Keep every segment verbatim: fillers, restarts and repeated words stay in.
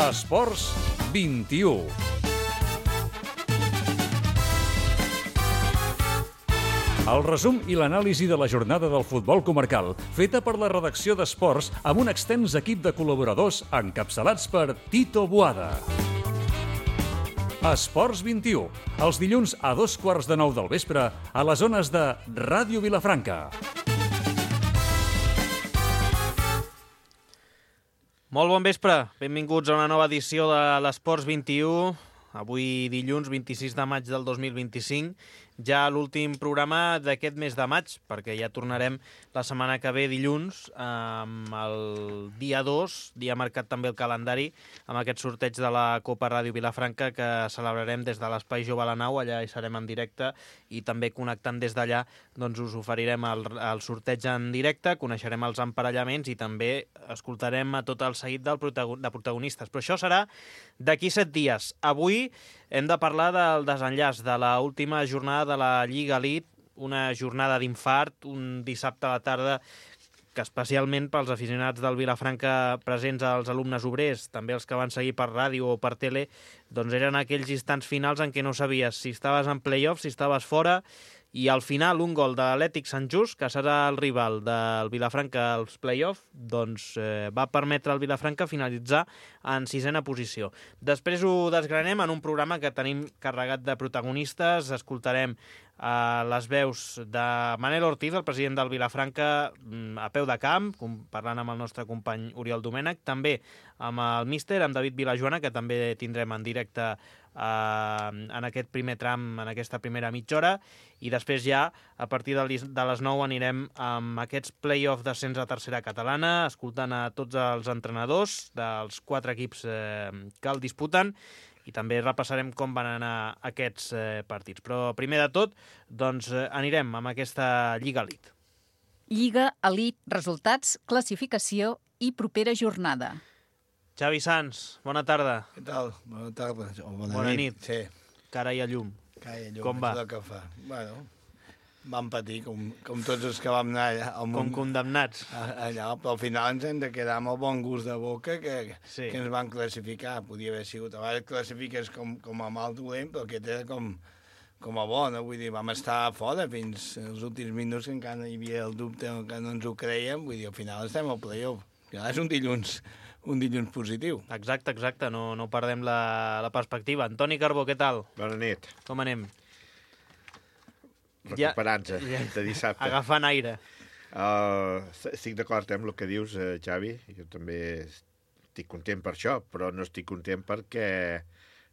Esports vint-i-u. El resum i l'anàlisi de la jornada del futbol comarcal, feta per la redacció d'Esports amb un extens equip de col·laboradors encapçalats per Tito Boada. Esports vint-i-u, els dilluns a dos quarts de nou del vespre a les zones de Ràdio Vilafranca. Molt bon vespre, benvinguts a una nova edició de l'Esports vint-i-u, avui dilluns vint-i-sis de maig del dos mil vint-i-cinc, ja l'últim programa d'aquest mes de maig, perquè ja tornarem la setmana que ve dilluns, amb el dia dos, dia marcat també el calendari, amb aquest sorteig de la Copa Ràdio Vilafranca que celebrarem des de l'Espai Jove a la Nau, allà hi serem en directe, i també connectant des d'allà doncs us oferirem el, el sorteig en directe, coneixerem els emparellaments i també escoltarem a tot el seguit del protagon de protagonistes. Però això serà d'aquí set dies. Avui hem de parlar del desenllaç de l'última jornada de la Lliga Elite, una jornada d'infart, un dissabte a la tarda que especialment pels aficionats del Vilafranca presents als alumnes obrers, també els que van seguir per ràdio o per tele, doncs eren aquells instants finals en què no sabies si estaves en play-off, si estaves fora, i al final un gol de l'Atlètic Sant Just, que serà el rival del Vilafranca als play-off, doncs eh, va permetre al Vilafranca finalitzar en sisena posició. Després ho desgranem en un programa que tenim carregat de protagonistes, escoltarem a les veus de Manel Ortiz, el president del Vilafranca, a peu de camp, parlant amb el nostre company Oriol Domènech, també amb el míster, amb David Vilajoana, que també tindrem en directe eh, en aquest primer tram, en aquesta primera mitja hora, i després ja, a partir de les nou, anirem amb aquests play-off d'ascens a tercera catalana, escoltant a tots els entrenadors dels quatre equips eh, que el disputen, i també repassarem com van anar aquests eh, partits. Però primer de tot, doncs eh, anirem amb aquesta Lliga Elite. Lliga Elite, resultats, classificació i propera jornada. Xavi Sans, bona tarda. Què tal? Bona tarda. O bona, bona nit. nit. Sí. Cara i a llum. Cara i a llum. Com va? Que fa. Bueno, vam patir, com, com tots els que vam anar allà. Al com condemnats. Allà, però al final ens hem de quedar amb el bon gust de boca que, sí. que ens van classificar. Podia haver sigut, a vegades classifiques com, com a mal dolent, però aquest era com, com a bo, no? Vull dir, vam estar fora fins als últims minuts que encara hi havia el dubte que no ens ho creiem. Vull dir, al final estem al play-off. És un dilluns, un dilluns positiu. Exacte, exacte, no, no perdem la, la perspectiva. Antoni Carbó, què tal? Bona nit. Com anem? Recuperant-se ja, de dissabte. Agafant aire. Uh, estic d'acord amb el que dius, uh, Xavi. Jo també estic content per això, però no estic content perquè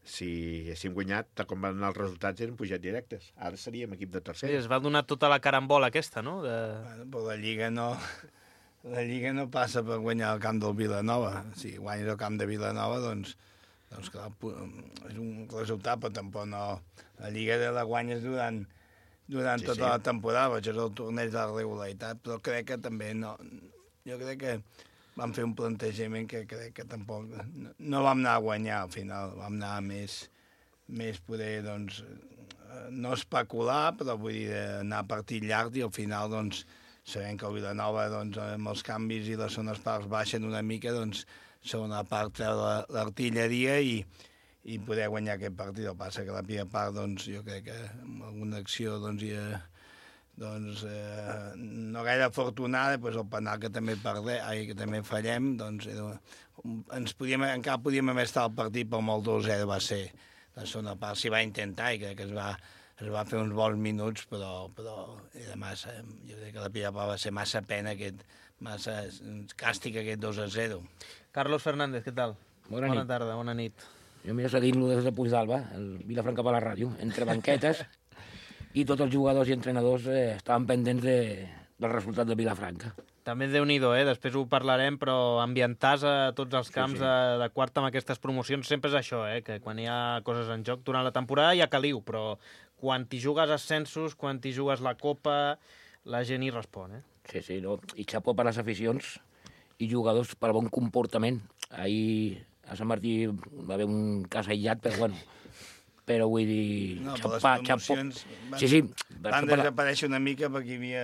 si haguéssim guanyat, tal com van anar els resultats, eren pujat directes. Ara seríem equip de tercera. Sí, es va donar tota la carambola aquesta, no? De... Bueno, però la Lliga no... La Lliga no passa per guanyar el camp del Vilanova. Si guanyes el camp de Vilanova, doncs, doncs clar, és un resultat, però tampoc no... La Lliga de la guanyes durant, durant sí, tota sí. la temporada, això és el torneig de la regularitat, però crec que també no... Jo crec que vam fer un plantejament que crec que tampoc... No, no vam anar a guanyar al final, vam anar a més, més poder, doncs, no especular, però vull dir, anar a partit llarg i al final, doncs, sabem que el Vilanova, doncs, amb els canvis i les zones parts baixen una mica, doncs, segona part treu l'artilleria i, i poder guanyar aquest partit. El passa que la primera part, doncs, jo crec que amb alguna acció, doncs, ja, doncs, eh, no gaire afortunada, doncs el penal que també perdem, ai, que també fallem, doncs, era, ens podíem, encara podíem haver estat al partit, però amb el dos zero va ser la segona part. S'hi va intentar i crec que es va... es va fer uns bons minuts, però, però era massa, jo crec que la primera part va ser massa pena, aquest, massa càstig aquest dos a zero. Carlos Fernández, què tal? Bona, bona nit. tarda, bona nit. Jo m'he seguint-lo des de Puigdàlber, el Vilafranca per la ràdio, entre banquetes, i tots els jugadors i entrenadors eh, estaven pendents de, del resultat de Vilafranca. També Déu-n'hi-do, eh? Després ho parlarem, però ambientar-se a tots els camps sí, sí. De, de quart amb aquestes promocions sempre és això, eh? Que quan hi ha coses en joc durant la temporada hi ha caliu, però quan t'hi jugues ascensos, quan t'hi jugues la Copa, la gent hi respon, eh? Sí, sí, no? I xapó per les aficions i jugadors per bon comportament. Ahir a Sant Martí va haver un cas aïllat, però bueno... Però vull dir... No, xapó, però les promocions xapó. van, Sí, sí, van desaparèixer una mica perquè hi havia...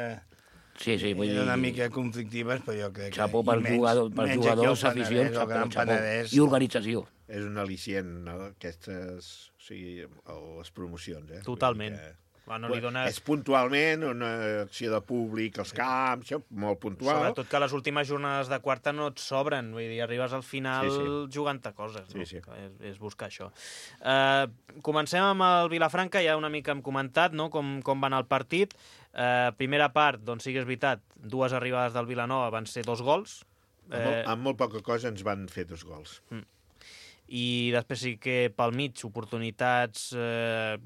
Sí, sí, vull eren dir... una mica conflictives, però jo crec que... Xapó pels i menys- jugadors, pels menys aquí al jugadors, Penedès, aficions, al xapó, Gran xapó. Penedès. I organització. És un al·licient, no? Aquestes... O sigui, les promocions, eh? Totalment. Vull dir que... Bueno, li dona... És puntualment una acció de públic als camps, això, molt puntual. Sobretot que les últimes jornades de quarta no et sobren, vull dir, arribes al final Sí, sí. jugant-te coses, no? Sí, sí. És, és buscar això. Uh, comencem amb el Vilafranca, ja una mica hem comentat, no?, com, com va anar el partit. Uh, primera part, doncs sí que és veritat, dues arribades del Vilanova van ser dos gols. Amb, molt, amb molt poca cosa ens van fer dos gols. Mm. I després sí que pel mig, oportunitats... Eh,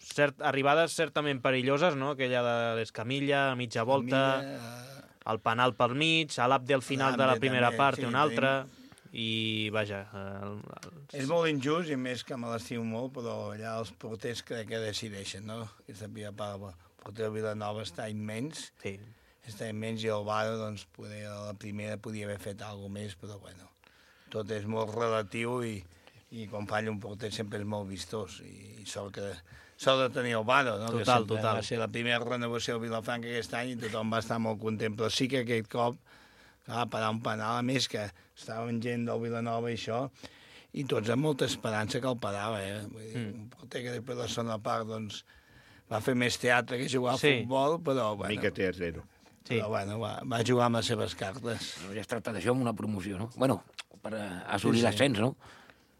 cert, arribades certament perilloses, no? Aquella de l'Escamilla, a mitja volta, Milla, el penal pel mig, a l'Abde al final de la l'Abde primera també, part sí, i una altra, i vaja... El, el... És molt injust, i més que me l'estimo molt, però allà els porters crec que decideixen, no? Aquesta primera part, el porter de Vilanova està immens, Sí. està immens, i el Varo, doncs, poder, a la primera podia haver fet alguna més, però bueno, tot és molt relatiu, i, i quan falla un porter sempre és molt vistós, i, i sort que sort de tenir el Varo, no? Total, que sempre total. va ser la primera renovació de Vilafranca aquest any i tothom va estar molt content, però sí que aquest cop va parar un penal, a més que estaven gent del Vilanova i això, i tots amb molta esperança que el parava, eh? Vull dir, mm. un porter que després de la segona part, doncs, va fer més teatre que jugar a Sí. futbol, però, Una bueno, mica té a zero. Sí. però, bueno va, va jugar amb les seves cartes. Ja es tracta d'això amb una promoció, no? Bueno, per eh, assolir Sí, sí. l'ascens, no?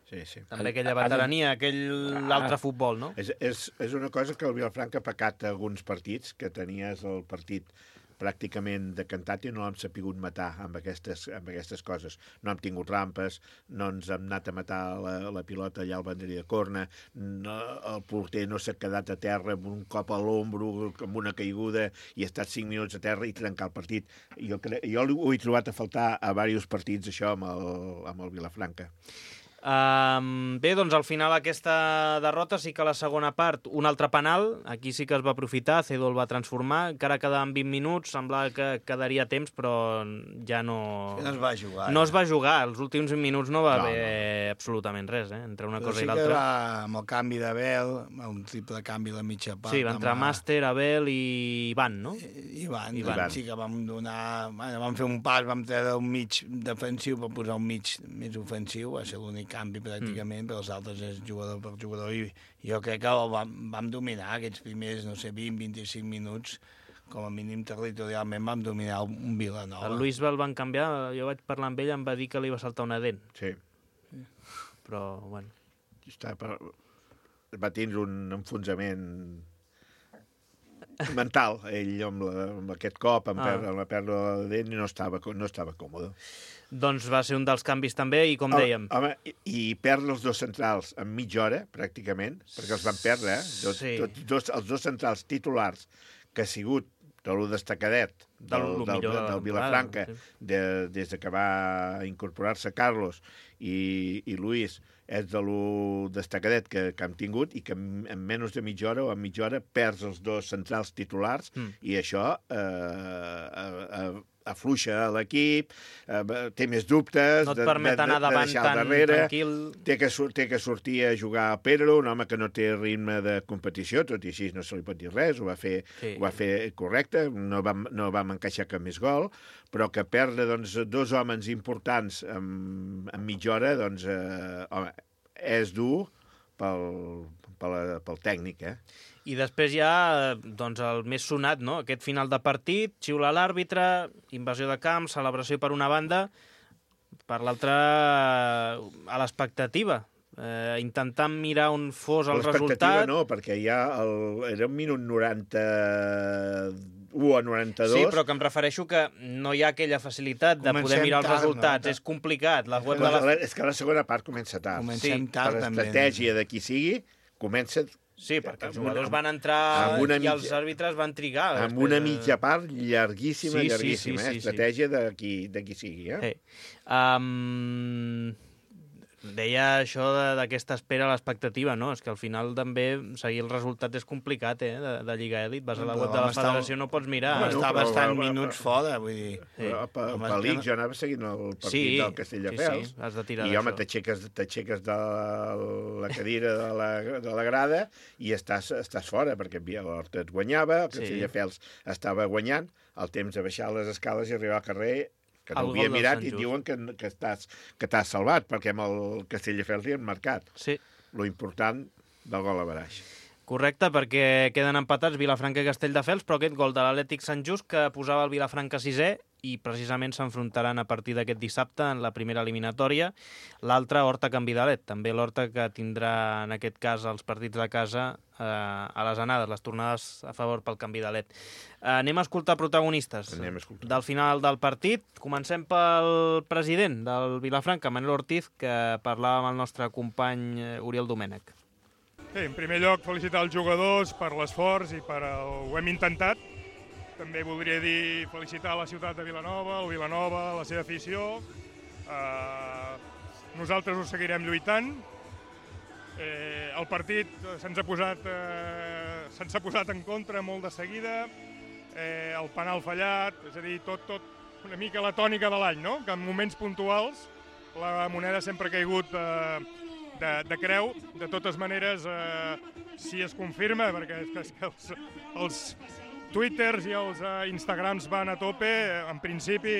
Sí, sí. També aquella veterania, aquell l'altre futbol, no? És, és, és una cosa que el Vilafranca ha pecat a alguns partits, que tenies el partit pràcticament decantat i no l'hem sapigut matar amb aquestes, amb aquestes coses. No hem tingut rampes, no ens hem anat a matar la, la pilota allà al banderi de corna, no, el porter no s'ha quedat a terra amb un cop a l'ombro, amb una caiguda, i ha estat cinc minuts a terra i trencar el partit. Jo, cre... jo ho he trobat a faltar a diversos partits, això, amb el, amb el Vilafranca. Um, bé, doncs al final aquesta derrota sí que a la segona part un altre penal, aquí sí que es va aprofitar, Cedo el va transformar, encara quedaven vint minuts, semblava que quedaria temps, però ja no... No es va jugar. No es va jugar, els últims vint minuts no va No, haver absolutament res, eh? Entre una Però cosa sí i que l'altra. va, amb el canvi d'Abel, un triple canvi a la mitja part. Sí, va entrar amb- Màster, Abel i Ivan, no? I van, I I van. van. Sí que vam donar... Bueno, vam fer un pas, vam treure un mig defensiu per posar un mig més ofensiu, va ser l'únic canvi pràcticament, mm. però els altres és jugador per jugador, i jo crec que el vam, vam dominar aquests primers, no sé, vint a vint-i-cinc minuts, com a mínim territorialment vam dominar un Vilanova. El Luis el van canviar, jo vaig parlar amb ell, em va dir que li va saltar una dent, Sí. però, bueno... Està per... Va tindre un enfonsament mental, ell amb, la, amb aquest cop, amb, Ah. per, amb la pèrdua de dent, i no estava, no estava còmode. Doncs va ser un dels canvis també, i com dèiem... Home, i, i perdre els dos centrals en mitja hora, pràcticament, perquè els van perdre, eh? Dos, Sí. tots, dos, els dos centrals titulars, que ha sigut de lo destacadet del, Del- lo del, millor de la del Vilafranca, temporada, de, des de que va incorporar-se Carlos i, i Luis, és de lo destacadet que, que hem tingut, i que en, en menys de mitja hora o en mitja hora perds els dos centrals titulars, Mm. i això eh, eh, eh, afluixa l'equip, eh, té més dubtes... No et permet anar davant tan tranquil. Té que, sur- té que sortir a jugar a Pedro, un home que no té ritme de competició, tot i així no se li pot dir res, ho va fer, Sí. ho va fer correcte, no vam, no vam encaixar cap més gol, però que perdre doncs, dos homes importants en, en mitja hora, doncs, eh, home, és dur pel, pel, pel tècnic, eh? I després hi ha doncs, el més sonat, no? Aquest final de partit, xiula l'àrbitre, invasió de camp, celebració per una banda, per l'altra a l'expectativa. Eh, intentant mirar on fos el L'expectativa resultat. no, perquè ja el, era un minut noranta-u a noranta-dos. Sí, però que em refereixo que no hi ha aquella facilitat de Comencem poder mirar els tard, resultats. no? És complicat. La web de Doncs, la... És que la segona part comença tard. Comencem Sí, tard, Per també. estratègia de qui sigui, comença Sí, perquè els amb una- jugadors van entrar amb una i els mitja- àrbitres van trigar. amb després, una eh, mitja part llarguíssima, Sí, sí, llarguíssima, sí, eh? sí, sí. Estratègia de qui, de qui sigui, eh? Sí. Um, deia això de- d'aquesta espera a l'expectativa, no? És que al final també seguir el resultat és complicat, eh? De, de Lliga Elit. Vas a la Però web de la vam estar- federació, no pots mirar. Bueno, Està però- bastant però- minuts fora, vull dir... Però per, Home, per és que l'I C no- jo anava seguint el partit Sí, del Castelldefels, sí, sí, has de tirar i home, d'això. t'aixeques t'aixeques de la cadira de la, de la grada i estàs, estàs fora, perquè havia l'Horta et guanyava, el Sí. Castelldefels estava guanyant, el temps de baixar les escales i arribar al carrer, que no El ho havia gol del mirat Sant i Just. diuen que, que t'has que t'has salvat, perquè amb el Castelldefels li han marcat. Sí. Lo important del gol a baraix. Correcte, perquè queden empatats Vilafranca i Castelldefels, però aquest gol de l'Atlètic Sant Just que posava el Vilafranca sisè i precisament s'enfrontaran a partir d'aquest dissabte en la primera eliminatòria. L'altra, Horta Canvidalet, també l'Horta que tindrà en aquest cas els partits de casa eh, a les anades, les tornades a favor pel Canvidalet. Eh, anem a escoltar protagonistes Anem a escoltar. del final del partit. Comencem pel president del Vilafranca, Manel Ortiz, que parlava amb el nostre company eh, Oriol Domènech. Sí, en primer lloc, felicitar els jugadors per l'esforç i per el... ho hem intentat. També voldria dir felicitar la ciutat de Vilanova, el Vilanova, la seva afició. Uh, nosaltres ho seguirem lluitant. Eh, el partit se'ns ha posat, eh, se'ns ha posat en contra molt de seguida. Eh, el penal fallat, és a dir, tot, tot una mica la tònica de l'any, no? Que en moments puntuals la moneda sempre ha caigut eh, de, de creu. De totes maneres, eh, si es confirma, perquè és que, és que els, els Twitters i els uh, Instagrams van a tope, en principi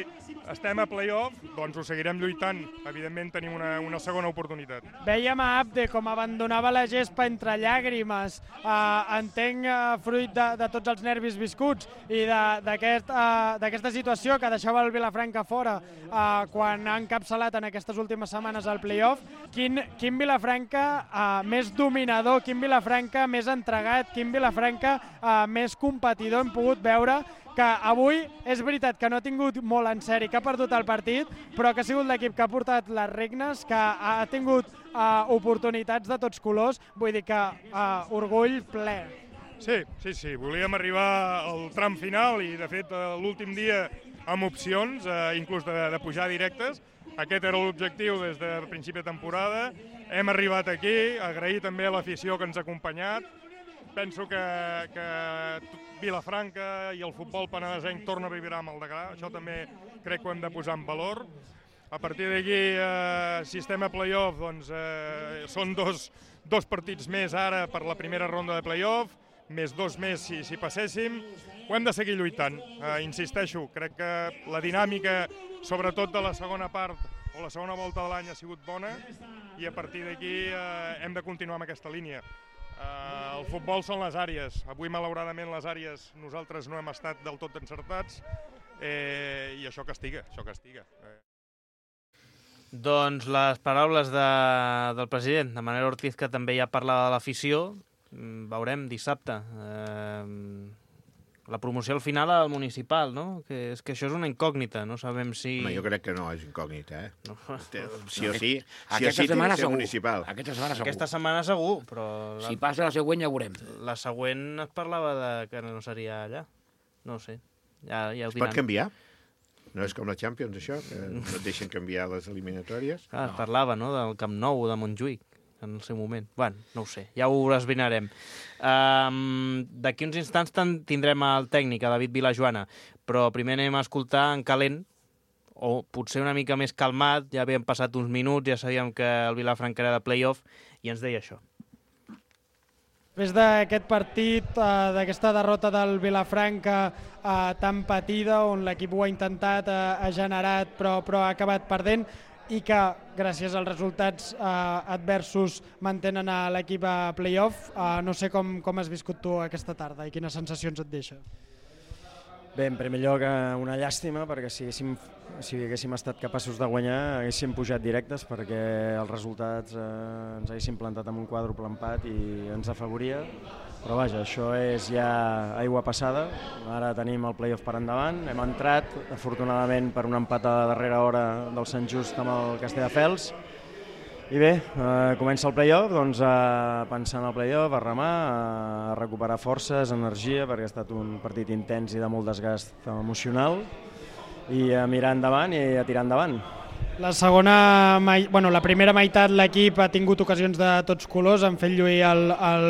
estem a play-off, doncs ho seguirem lluitant. Evidentment tenim una, una segona oportunitat. Vèiem a Abde com abandonava la gespa entre llàgrimes, uh, entenc uh, fruit de, de tots els nervis viscuts i d'aquesta aquest, uh, situació que deixava el Vilafranca fora uh, quan ha encapçalat en aquestes últimes setmanes al play-off. Quin, quin Vilafranca uh, més dominador, quin Vilafranca més entregat, quin Vilafranca uh, més competidor hem pogut veure, que avui és veritat que no ha tingut molt en sèrie, que ha perdut el partit, però que ha sigut l'equip que ha portat les regnes, que ha tingut uh, oportunitats de tots colors, vull dir que uh, orgull ple. Sí, sí, sí, volíem arribar al tram final i de fet l'últim dia amb opcions, eh, inclús de, de pujar directes. Aquest era l'objectiu des de principi de temporada. Hem arribat aquí, agrair també a l'afició que ens ha acompanyat. Penso que, que Vilafranca i el futbol penedesenc torna a vibrar amb el Degà. Això també crec que ho hem de posar en valor. A partir d'aquí, eh, si estem a play-off, doncs eh, són dos, dos partits més ara per la primera ronda de play-off, més dos més si, si passéssim. Ho hem de seguir lluitant. Eh, insisteixo, crec que la dinàmica, sobretot de la segona part o la segona volta de l'any, ha sigut bona i a partir d'aquí eh, hem de continuar amb aquesta línia. Uh, el futbol són les àrees. Avui, malauradament, les àrees nosaltres no hem estat del tot encertats eh, i això castiga, això castiga. Eh. Doncs les paraules de, del president, de Manel Ortiz, que també ja parlava de l'afició. Veurem dissabte. Eh, la promoció al final al municipal, no? Que és que això és una incògnita, no sabem si... Home, jo crec que no és incògnita, eh? No. Sí o sí, sí o Aquesta sí setmana té que ser segur. municipal. Aquesta setmana segur. Aquesta setmana segur, però... La, Si passa la següent ja ho veurem. la següent es parlava de que no seria allà. No ho sé. Ja, ja ho Es pot diran. canviar? No és com la Champions, això, que no et deixen canviar les eliminatòries. Ah, es parlava, no?, del Camp Nou o de Montjuïc en el seu moment. Bueno, no ho sé, ja ho esbrinarem. Um, D'aquí uns instants tindrem el tècnic, a David Vilajoana, però primer anem a escoltar en calent, o potser una mica més calmat, ja havien passat uns minuts, ja sabíem que el Vilafranca era de play-off, i ens deia això. Després d'aquest partit, eh, d'aquesta derrota del Vilafranca eh, tan patida, on l'equip ho ha intentat, eh, ha generat, però, però ha acabat perdent, i que gràcies als resultats eh, adversos mantenen a l'equip a play-off. Eh, no sé com, com has viscut tu aquesta tarda i quines sensacions et deixa. Bé, en primer lloc, una llàstima, perquè si haguéssim, si haguéssim estat capaços de guanyar haguéssim pujat directes, perquè els resultats eh, ens haguessin plantat amb un quàdruple empat i ens afavoria. Però vaja, això és ja aigua passada. Ara tenim el play-off per endavant. Hem entrat, afortunadament, per un empat a la darrera hora del Sant Just amb el Castelldefels. I bé, eh, comença el play-off, doncs a pensar en el play-off, a remar, a recuperar forces, energia, perquè ha estat un partit intens i de molt desgast emocional, i a mirar endavant i a tirar endavant. La segona, bueno, la primera meitat l'equip ha tingut ocasions de tots colors, han fet lluir el, el,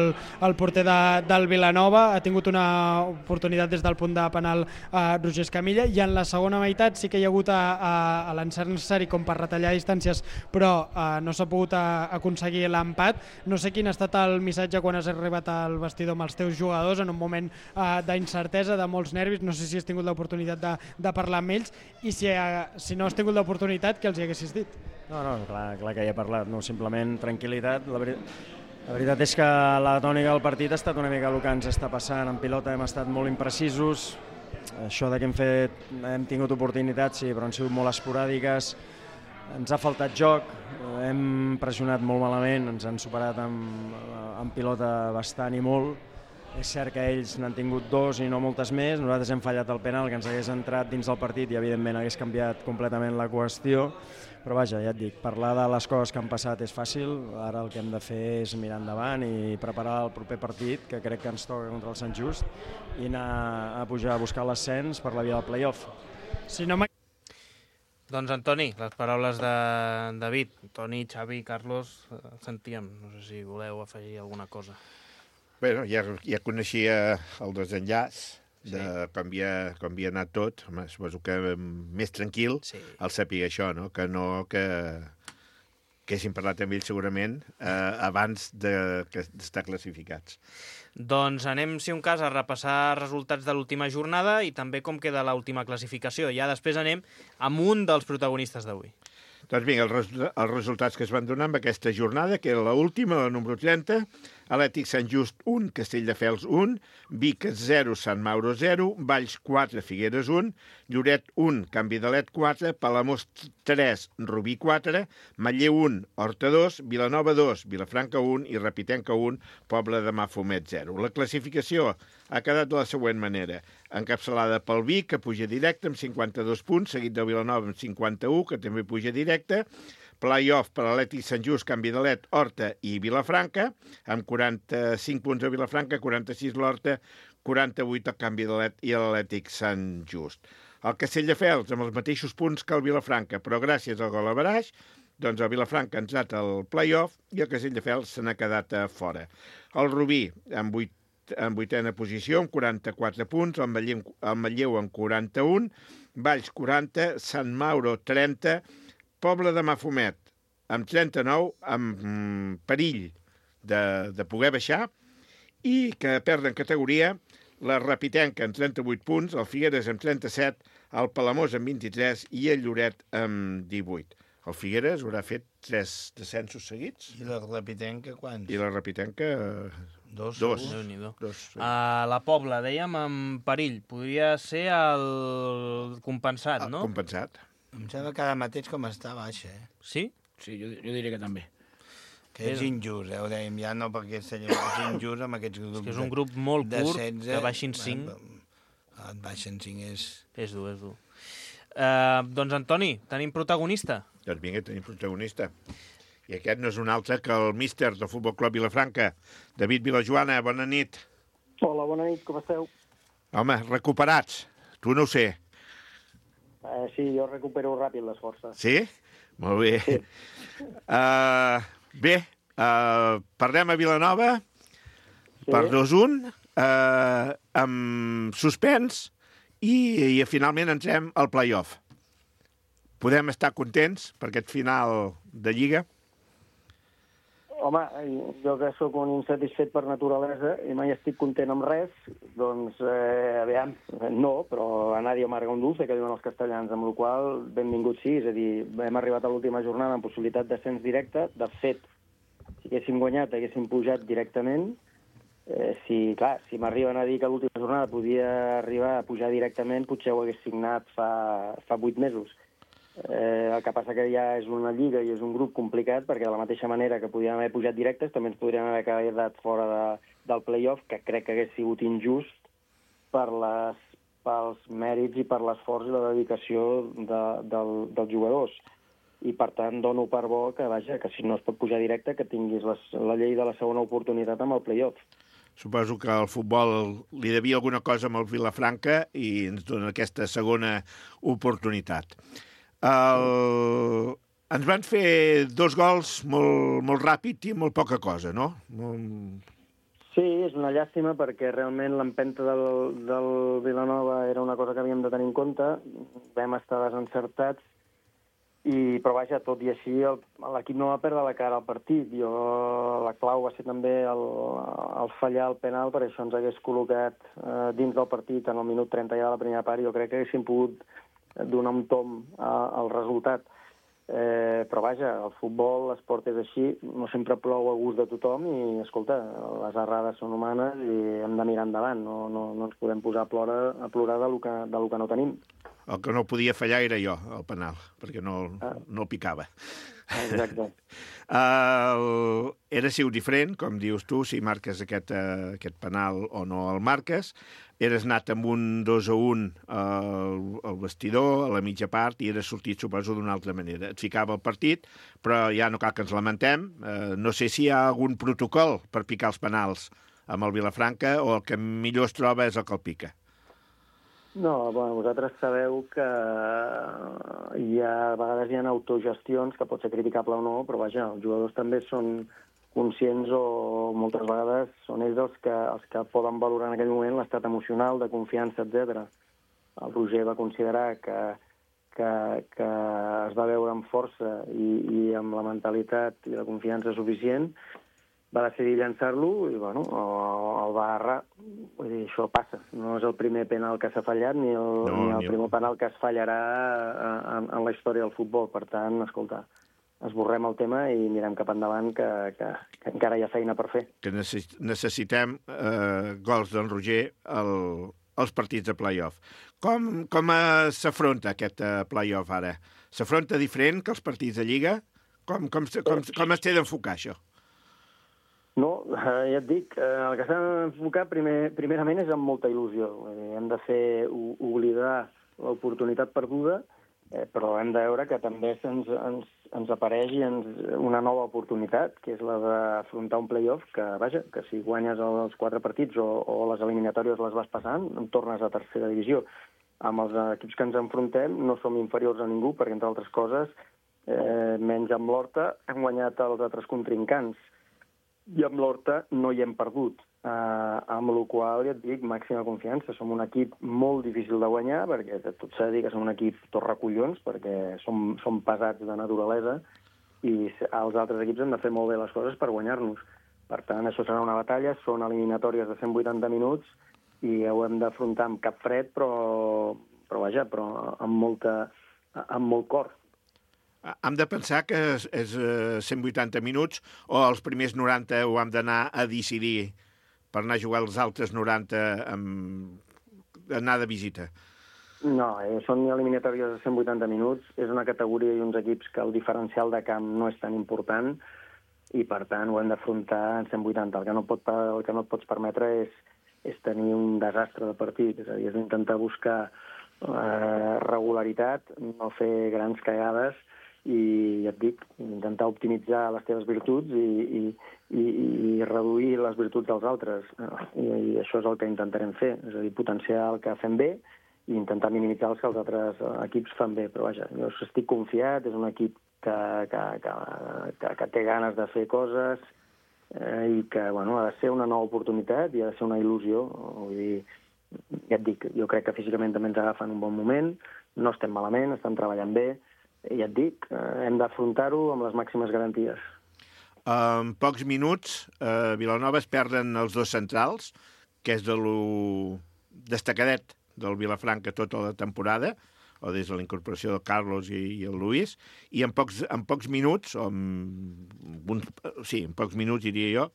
el porter de, del Vilanova, ha tingut una oportunitat des del punt de penal a Roger Escamilla, i en la segona meitat sí que hi ha hagut a, a, a l'encert necessari com per retallar distàncies, però a, no s'ha pogut a, aconseguir l'empat. No sé quin ha estat el missatge quan has arribat al vestidor amb els teus jugadors en un moment a, d'incertesa, de molts nervis. No sé si has tingut l'oportunitat de, de parlar amb ells, i si, a, si no has tingut l'oportunitat, que els hi haguessis dit. No, no, clar, clar que hi he parlat, no, simplement tranquil·litat. La, veri... la veritat és que la tònica del partit ha estat una mica el que ens està passant. En pilota hem estat molt imprecisos, això de que hem fet, hem tingut oportunitats, sí, però han sigut molt esporàdiques, ens ha faltat joc, hem pressionat molt malament, ens han superat amb, amb pilota bastant i molt. És cert que ells n'han tingut dos i no moltes més, nosaltres hem fallat el penal que ens hagués entrat dins del partit i evidentment hagués canviat completament la qüestió, però vaja, ja et dic, parlar de les coses que han passat és fàcil, ara el que hem de fer és mirar endavant i preparar el proper partit, que crec que ens toca contra el Sant Just, i anar a pujar a buscar l'ascens per la via del play-off. Si no Doncs Antoni, les paraules de David, Toni, Xavi, Carlos, sentíem, no sé si voleu afegir alguna cosa. Bé, ja, ja coneixia el desenllaç de sí. com, havia, com havia anat tot. Home, suposo que més tranquil sí. el saber això, no? Que no que, que haguéssim parlat amb ells segurament eh, abans de, que d'estar classificats. Doncs anem, si un cas, a repassar resultats de l'última jornada i també com queda l'última classificació. Ja després anem amb un dels protagonistes d'avui. Doncs vinga, els, els resultats que es van donar amb aquesta jornada, que era l'última, la número trenta, Atlètic Sant Just un, Castelldefels un, Vic zero, Sant Mauro zero, Valls quatre, Figueres un, Lloret un, Canvi d'Alet quatre, Palamós tres, Rubí quatre, Manlleu un, Horta dos, Vilanova dos, Vilafranca un i Repitenca un, Poble de Mafumet zero. La classificació ha quedat de la següent manera. Encapçalada pel Vic, que puja directe amb cinquanta-dos punts, seguit de Vilanova amb cinquanta-u, que també puja directe, play-off per Atlètic Sant Just, Canvi d'Alet, Horta i Vilafranca, amb quaranta-cinc punts a Vilafranca, quaranta-sis l'Horta, quaranta-vuit el Canvi d'Alet i l'Atlètic Sant Just. El Castelldefels amb els mateixos punts que el Vilafranca, però gràcies al gol a Baraix, doncs el Vilafranca ha entrat al play-off i el Castelldefels se n'ha quedat a fora. El Rubí amb vuit en vuitena posició, amb quaranta-quatre punts, el Manlleu, el Manlleu amb quaranta-un, Valls quaranta, Sant Mauro trenta, Poble de Mafumet amb trenta-nou, amb mm, perill de, de poder baixar, i que perden categoria la Repitenca amb trenta-vuit punts, el Figueres amb trenta-set, el Palamós amb vint-i-tres i el Lloret amb divuit. El Figueres haurà fet tres descensos seguits. I la Repitenca quants? I la Repitenca... Dos. Dos. Dos sí. A la Pobla, dèiem, amb perill. Podria ser el compensat, no? El compensat. Em sembla que ara mateix com està baixa, eh? Sí? Sí, jo, jo diria que també. Que és injust, eh? Ho dèiem ja, no perquè és injust amb aquests grups. És que és un grup molt curt, setze, que baixin cinc. Et baixen cinc és... És dur, és dur. Uh, doncs, Antoni, tenim protagonista? Doncs vinga, tenim protagonista. I aquest no és un altre que el míster del Futbol Club Vilafranca, David Vilajoana. Bona nit. Hola, bona nit, com esteu? Home, recuperats. Tu no ho sé. Uh, sí, jo recupero ràpid les forces. Sí? Molt bé. Sí. Uh, bé, uh, parlem a Vilanova sí. per dos un, uh, amb suspens, i, i finalment entrem al play-off. Podem estar contents per aquest final de Lliga? Home, jo que sóc un insatisfet per naturalesa i mai estic content amb res, doncs, eh, aviam, no, però a nadie amarga un dulce, que diuen els castellans, amb la qual cosa, benvingut sí, és a dir, hem arribat a l'última jornada amb possibilitat d'ascens directe. De fet, si haguéssim guanyat, haguéssim pujat directament. Eh, si, clar, si m'arriben a dir que l'última jornada podia arribar a pujar directament, potser ho hagués signat fa, fa vuit mesos. Eh, el que passa que ja és una lliga i és un grup complicat, perquè de la mateixa manera que podíem haver pujat directes, també ens podríem haver quedat fora de, del play-off, que crec que hagués sigut injust per les, pels mèrits i per l'esforç i la dedicació de, del, dels jugadors. I, per tant, dono per bo que, vaja, que si no es pot pujar directe, que tinguis les, la llei de la segona oportunitat amb el play-off. Suposo que el futbol li devia alguna cosa amb el Vilafranca i ens dona aquesta segona oportunitat. El... Ens van fer dos gols molt, molt ràpid i molt poca cosa, no? Molt... Sí, és una llàstima perquè realment l'empenta del, del Vilanova era una cosa que havíem de tenir en compte. Vam estar desencertats, i, però vaja, tot i així l'equip no va perdre la cara al partit. Jo, la clau va ser també el, el fallar el penal, per això ens hagués col·locat eh, dins del partit en el minut trenta ja de la primera part. Jo crec que haguéssim pogut donar un tom a, al resultat. Eh, però vaja, el futbol, l'esport és així, no sempre plou a gust de tothom i, escolta, les errades són humanes i hem de mirar endavant, no, no, no ens podem posar a plorar, a plorar de lo que, de lo que no tenim. El que no podia fallar era jo, el penal, perquè no, ah. no el picava. Exacte. uh, era siu diferent, com dius tu, si marques aquest, uh, aquest penal o no el marques. Eres anat amb un dos a un al, al vestidor, a la mitja part, i eres sortit, suposo, d'una altra manera. Et ficava el partit, però ja no cal que ens lamentem. Uh, no sé si hi ha algun protocol per picar els penals amb el Vilafranca o el que millor es troba és el que el pica. No, bueno, vosaltres sabeu que hi ha, a vegades hi ha autogestions, que pot ser criticable o no, però vaja, els jugadors també són conscients o moltes vegades són ells els que, els que poden valorar en aquell moment l'estat emocional, de confiança, etcètera. El Roger va considerar que, que, que es va veure amb força i, i amb la mentalitat i la confiança suficient, va decidir llançar-lo i, bueno, el va errar. Vull dir, això passa. No és el primer penal que s'ha fallat ni el, no, ni el ni primer penal que es fallarà en, en la història del futbol. Per tant, escolta, esborrem el tema i mirem cap endavant, que, que, que encara hi ha feina per fer. Que necessitem eh, gols d'en Roger al, als partits de play-off. Com, com eh, s'afronta aquest eh, play-off ara? S'afronta diferent que els partits de Lliga? Com, com, com, com es té d'enfocar això? No, eh, ja et dic, eh, el que s'ha d'enfocar primer, primerament és amb molta il·lusió. Eh, hem de fer oblidar l'oportunitat perduda, eh, però hem de veure que també ens, ens, ens apareix ens, una nova oportunitat, que és la d'afrontar un play-off que, vaja, que si guanyes els quatre partits o, o les eliminatòries les vas passant, tornes a tercera divisió. Amb els equips que ens enfrontem no som inferiors a ningú, perquè, entre altres coses, eh, menys amb l'Horta, hem guanyat els altres contrincants. I amb l'Horta no hi hem perdut, eh, amb la qual ja et dic, màxima confiança. Som un equip molt difícil de guanyar, perquè tot s'ha de dir que som un equip torracollons, perquè som, som pesats de naturalesa, i els altres equips han de fer molt bé les coses per guanyar-nos. Per tant, això serà una batalla, són eliminatòries de cent vuitanta minuts, i ho hem d'afrontar amb cap fred, però, però vaja, però amb, molta, amb molt cor. Hem de pensar que és, és cent vuitanta minuts o els primers noranta ho hem d'anar a decidir per anar a jugar els altres noranta amb... anar de visita? No, eh, són eliminatòries de cent vuitanta minuts. És una categoria i uns equips que el diferencial de camp no és tan important i, per tant, ho hem d'afrontar en cent vuitanta. El que no, pot, el que no et pots permetre és, és tenir un desastre de partit. És a dir, és intentar buscar eh, regularitat, no fer grans cagades, i ja et dic, intentar optimitzar les teves virtuts i, i, i, i reduir les virtuts dels altres. I, I això és el que intentarem fer, és a dir, potenciar el que fem bé i intentar minimitzar els que els altres equips fan bé. Però vaja, jo estic confiat, és un equip que, que, que, que, que té ganes de fer coses eh, i que, bueno, ha de ser una nova oportunitat i ha de ser una il·lusió. Vull dir, ja et dic, jo crec que físicament també ens agafen un bon moment, no estem malament, estem treballant bé, i ja et dic, hem d'afrontar-ho amb les màximes garanties. En pocs minuts, a Vilanova es perden els dos centrals, que és de lo destacadet del Vilafranca tota la temporada, o des de la incorporació del Carlos i, i el Luis, i en pocs, en pocs minuts, o en, un, sí, en pocs minuts diria jo,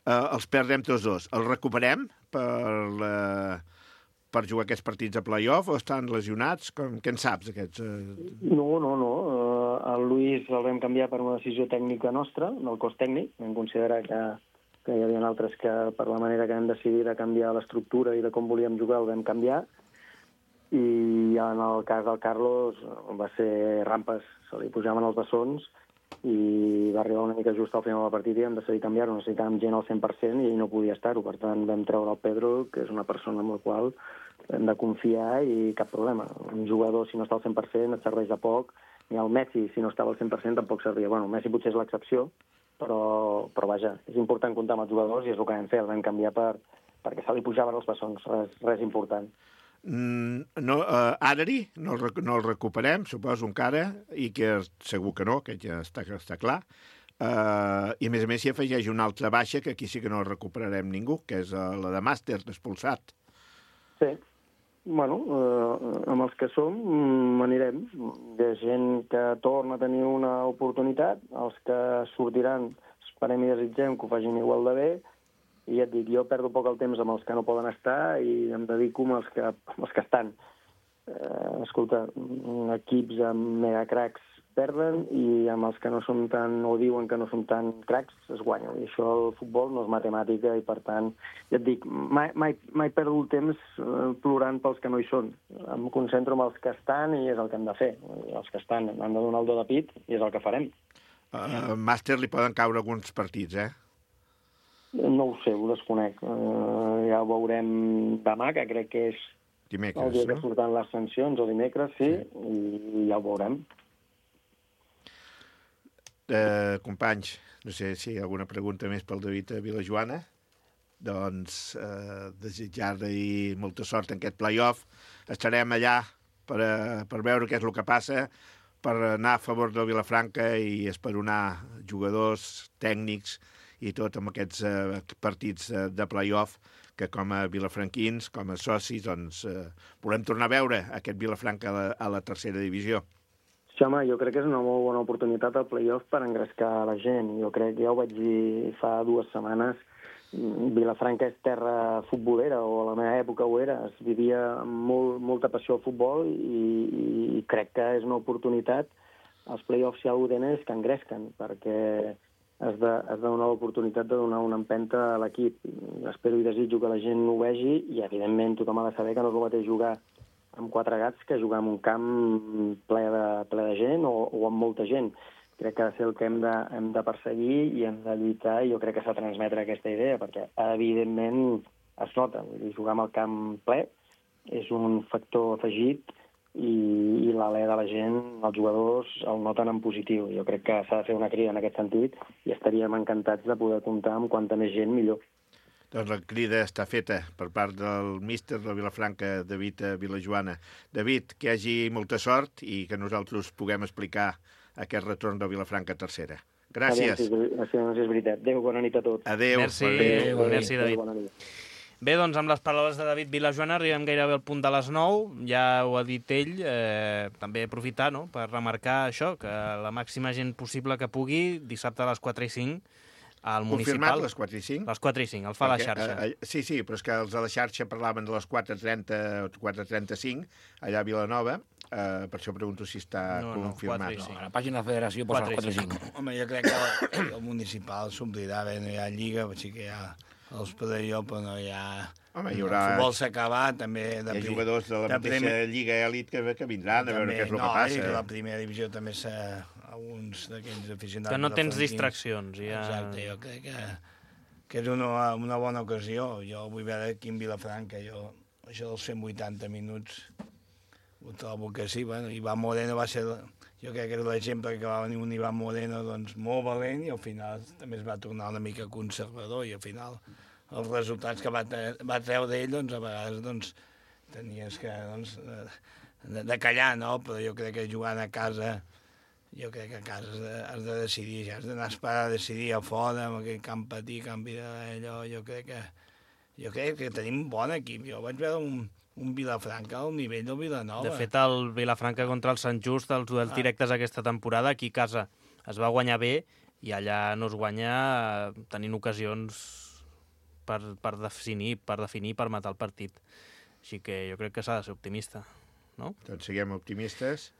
eh, els perdem tots dos. Els recuperem per la... per jugar aquests partits de play-off o estan lesionats? Com, què en saps, aquests? Eh... No, no, no. Uh, el Luis el vam canviar per una decisió tècnica nostra, del cos tècnic. Vam considerar que, que hi havia altres que, per la manera que hem decidit de canviar l'estructura i de com volíem jugar, el vam canviar. I en el cas del Carlos va ser rampes, se li pujaven els bessons i va arribar una mica just al final del partit i vam decidir canviar-ho. Necessitàvem gent al cent per cent i ell no podia estar-ho. Per tant, vam treure el Pedro, que és una persona amb la qual hem de confiar i cap problema. Un jugador, si no està al cent per cent, et serveix de poc. Ni el Messi, si no estava al cent per cent, tampoc servia. Bueno, el Messi potser és l'excepció, però, però vaja, és important comptar amb els jugadors i és el que vam fer, el vam canviar per, perquè se li pujaven els bessons, res, res important. Mm, no, uh, Adri, no, el, no el recuperem, suposo encara, i que segur que no, que ja està, està clar. Uh, I a més a més s'hi afegeix una altra baixa, que aquí sí que no recuperarem ningú, que és uh, la de Màster, expulsat. Sí. Bueno, eh, amb els que som mm, anirem. Hi ha gent que torna a tenir una oportunitat, els que sortiran esperem i desitgem que ho facin igual de bé, i ja et dic, jo perdo poc el temps amb els que no poden estar i em dedico amb els que, amb els que estan. Eh, escolta, equips amb megacracs perden i amb els que no són tan, o diuen que no són tan cracs, es guanyen. I això el futbol no és matemàtica i, per tant, ja et dic, mai, mai, mai perdo el temps eh, plorant pels que no hi són. Em concentro en els que estan i és el que hem de fer. I els que estan han de donar el do de pit i és el que farem. Uh, Màster li poden caure alguns partits, eh? No ho sé, ho desconec. Uh, ja ho veurem demà, que crec que és dimecres, el dia que no? surten les sancions, o dimecres, sí, sí. I ja ho veurem. Uh, companys, no sé si hi ha alguna pregunta més pel David a Vilajoana. Doncs uh, desitjar-li molta sort en aquest play-off. Estarem allà per, uh, per veure què és el que passa, per anar a favor del Vilafranca i esperonar jugadors, tècnics i tot amb aquests uh, partits uh, de play-off que com a vilafranquins, com a socis, doncs uh, volem tornar a veure aquest Vilafranca a la, a la tercera divisió. Sí, home, jo crec que és una molt bona oportunitat al play-off per engrescar la gent. Jo crec que ja ho vaig dir fa dues setmanes, Vilafranca és terra futbolera, o a la meva època ho era. Es vivia amb molt, molta passió al futbol i, i crec que és una oportunitat. Els play-offs, si alguna cosa tenen, és que engresquen, perquè has de, has de donar l'oportunitat de donar una empenta a l'equip. Espero i desitjo que la gent ho vegi i, evidentment, tothom ha de saber que no és el mateix jugar amb quatre gats que jugar en un camp ple de, ple de gent o, o amb molta gent. Crec que ha de ser el que hem de, hem de perseguir i hem de lluitar, i jo crec que s'ha de transmetre aquesta idea, perquè evidentment es nota. Vull dir, jugar amb el camp ple és un factor afegit i, i l'alè de la gent, els jugadors, el noten en positiu. Jo crec que s'ha de fer una crida en aquest sentit i estaríem encantats de poder comptar amb quanta més gent millor. Doncs la crida està feta per part del míster de Vilafranca, David Vilajoana. David, que hi hagi molta sort i que nosaltres puguem explicar aquest retorn de Vilafranca a tercera. Gràcies. Gràcies, és veritat. Adéu, bona nit a tots. Adéu. Merci, Adéu. merci David. Bona nit. Bé, doncs amb les paraules de David Vilajoana arribem gairebé al punt de les nou. Ja ho ha dit ell, eh, també aprofitar, no?, per remarcar això, que la màxima gent possible que pugui, dissabte a les quatre i cinc, al municipal. Confirmat, les quatre i cinc? Les quatre i cinc, el fa Perquè, la xarxa. Eh, eh, sí, sí, però és que els de la xarxa parlaven de les quatre trenta o quatre trenta-cinc, allà a Vilanova, eh, per això pregunto si està No, no, confirmat. quatre i cinc. No, a la pàgina de la federació posa les quatre i cinc. Home, jo crec que el, el municipal s'omplirà bé, no hi ha lliga, sí que hi ha els play-off, però no hi ha... Home, hi haurà... El futbol s'ha acabat, també... De Hi ha prim- jugadors de la de mateixa primer- Lliga Elit que, que vindran a veure què és el no, que passa. i que la primera divisió també s'ha... alguns d'aquells aficionats... Que no tens vilafranquins. distraccions. Ja... Exacte, jo crec que, que és una, una bona ocasió. Jo vull veure aquí en Vilafranca, jo, això dels cent vuitanta minuts, ho trobo que sí. Bueno, Ivan Moreno va ser... Jo crec que era l'exemple que va venir un Ivan Moreno doncs, molt valent i al final també es va tornar una mica conservador i al final els resultats que va, va treure ell, doncs, a vegades doncs, tenies que doncs, de, de callar, no? Però jo crec que jugant a casa, jo crec que a casa has de, has de decidir, ja has d'anar a esperar a decidir a fora, amb aquell camp petit, canvi d'allò, jo crec que jo crec que tenim un bon equip. Jo vaig veure un, un Vilafranca al nivell del Vilanova. De fet, el Vilafranca contra el Sant Just, els duels directes aquesta temporada, aquí a casa es va guanyar bé i allà no es guanya tenint ocasions per, per definir, per definir, per matar el partit. Així que jo crec que s'ha de ser optimista, no? Doncs siguem optimistes.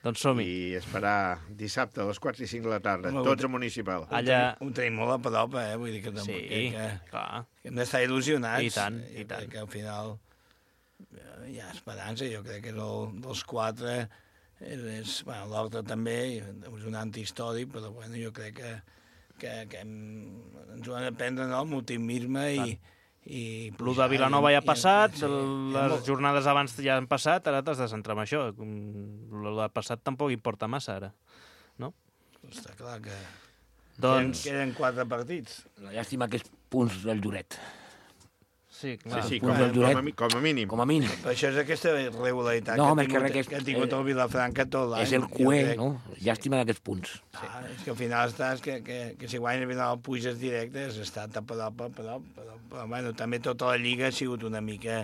Doncs som-hi. I esperar dissabte a les quatre i cinc de la tarda, Home, tots a municipal. Allà... Ho tenim molt a prop, eh? Vull dir que, tampoc, Sí, que, que, clar. que hem d'estar il·lusionats. I tant, jo i tant. crec que al final eh, hi ha esperança, jo crec que el, dels quatre és, és bueno, l'altre també és un antihistòric, però bueno, jo crec que, que, que hem, ens ho han de prendre, no?, amb optimisme i, I Lo de Vilanova ja ha passat, sí, les jornades abans ja han passat, ara t'has de centrar en això. Lo de passat tampoc importa massa, ara, no? Està clar que doncs... queden quatre partits. La llàstima que és punts del Lloret. Sí, clar. Sí, sí, com, a, com, a, com a mínim. Com a mínim. Però això és aquesta regularitat no, que, ha tingut, que, que ha tingut el Vilafranca tot l'any. És el cué, no? Llàstima d'aquests punts. Ah, és que al final estàs que, que, que si guanya el Vilanova puges directe, has estat a prop, a prop, a prop, però bueno, també tota la Lliga ha sigut una mica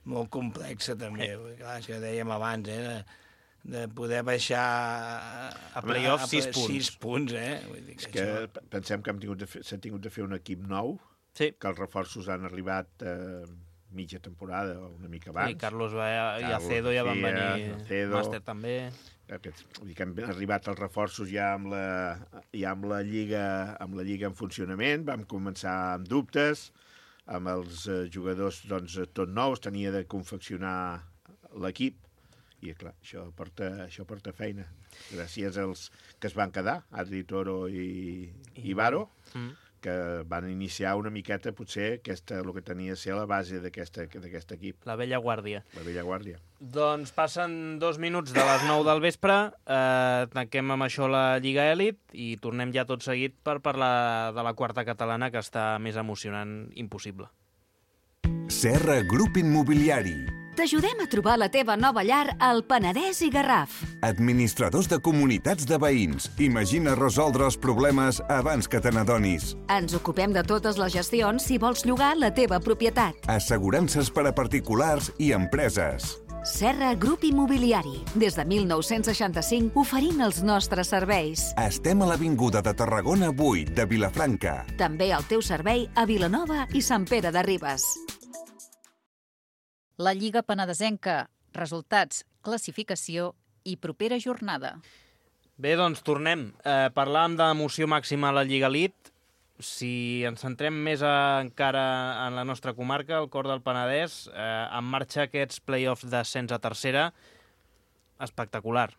molt complexa també, perquè, clar, és que dèiem abans, eh, de, de poder baixar a, a play-off sis punts. sis punts, eh? Vull dir que és que això... pensem que hem tingut de fer, s'ha tingut de fer un equip nou, sí, que els reforços han arribat eh, mitja temporada o una mica abans. I Carlos va, i Acedo ja van venir, Acedo, Màster també. Aquests, vull dir que han arribat els reforços ja amb la, ja amb la Lliga amb la Lliga en funcionament, vam començar amb dubtes, amb els eh, jugadors doncs, tot nous, tenia de confeccionar l'equip, i clar, això porta, això porta feina. Gràcies als que es van quedar, Adri Toro i, i Baro, mm. que van iniciar una miqueta, potser, aquesta, el que tenia a ser la base d'aquest equip. La vella guàrdia. La vella guàrdia. Doncs passen dos minuts de les nou del vespre, eh, tanquem amb això la Lliga Elit i tornem ja tot seguit per parlar de la quarta catalana, que està més emocionant impossible. Serra Grup Immobiliari. T'ajudem a trobar la teva nova llar al Penedès i Garraf. Administradors de comunitats de veïns. Imagina resoldre els problemes abans que te n'adonis. Ens ocupem de totes les gestions si vols llogar la teva propietat. Assegurances per a particulars i empreses. Serra Grup Immobiliari. Des de mil nou-cents seixanta-cinc oferint els nostres serveis. Estem a l'Avinguda de Tarragona vuit de Vilafranca. També al teu servei a Vilanova i Sant Pere de Ribes. La Lliga Penedesenca, resultats, classificació i propera jornada. Bé, doncs tornem. Eh, parlàvem d'emoció màxima a la Lliga Elit. Si ens centrem més a, encara en la nostra comarca, el cor del Penedès, eh, en marxa aquests play-offs d'ascens a tercera, espectacular.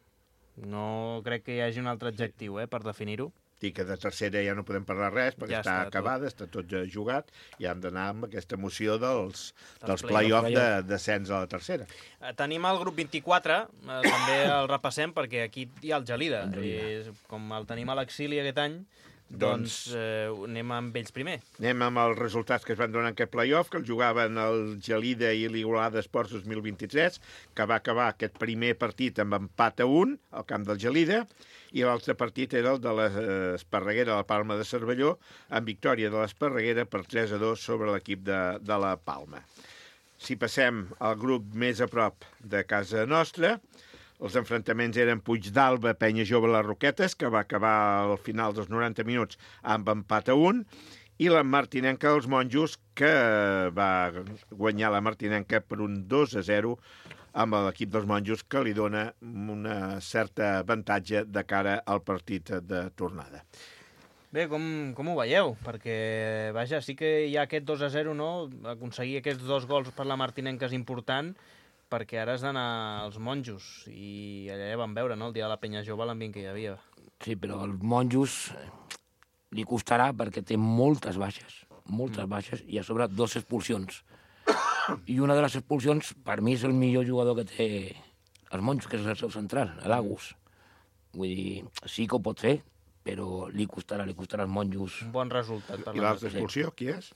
No crec que hi hagi un altre adjectiu eh, per definir-ho. I que de tercera ja no podem parlar res, perquè ja està, està acabada, tot. està tot ja jugat, i hem d'anar amb aquesta emoció dels, dels play-off de descens a la tercera. Eh, tenim el grup vint-i-quatre, eh, també el repassem, perquè aquí hi ha el Gelida. I, com el tenim a l'exili aquest any, doncs, doncs eh, anem amb ells primer. Anem amb els resultats que es van donar en aquest play-off, que el jugaven el Gelida i l'Igualada Esports dos mil vint-i-tres, que va acabar aquest primer partit amb empat a un al camp del Gelida, i l'altre partit era el de l'Esparreguera, la Palma de Cervelló, amb victòria de l'Esparreguera per tres a dos sobre l'equip de, de la Palma. Si passem al grup més a prop de casa nostra, els enfrontaments eren Puigdàlber, Penya Jove, les Roquetes, que va acabar al final dels noranta minuts amb empat a un, i la Martinenca dels Monjos, que va guanyar la Martinenca per un dos a zero amb l'equip dels Monjos, que li dona una certa avantatge de cara al partit de tornada. Bé, com, com ho veieu? Perquè, vaja, sí que hi ha aquest dos a zero, no? Aconseguir aquests dos gols per la Martinenca és important, perquè ara has d'anar als Monjos, i allà ja vam veure, no?, el dia de la Penya Jove, l'ambient que hi havia. Sí, però als Monjos li costarà perquè té moltes baixes, moltes mm. baixes, i a sobre dos expulsions. I una de les expulsions, per mi, és el millor jugador que té els Monjos, que és el seu central, l'Agus. Vull dir, sí que ho pot fer, però li costarà, li costarà als Monjos. Un bon resultat. Per I l'altra expulsió, qui és?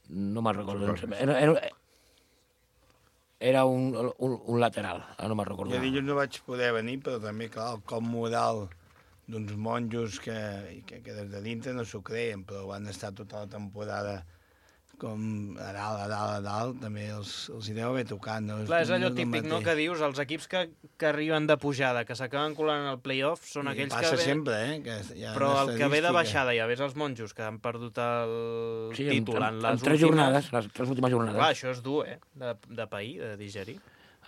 No me'n recordo. Era, era, era un, un, un lateral, no me'n recordo. Jo dilluns no vaig poder venir, però també, clar, el cop moral d'uns monjos que, que, que des de dintre no s'ho creien, però van estar tota la temporada com a dalt, a dalt, a dalt, també els, els hi deu haver tocat. No? Clar, és allò típic, no?, que dius, els equips que, que arriben de pujada, que s'acaben colant al play-off, són I aquells que... Passa sempre, eh? Que hi ha Però el que ve de baixada, ja ves els Monjos, que han perdut el sí, títol en, en les en tres últimes... jornades, les tres últimes jornades. Clar, això és dur, eh?, de, de pair, de digerir.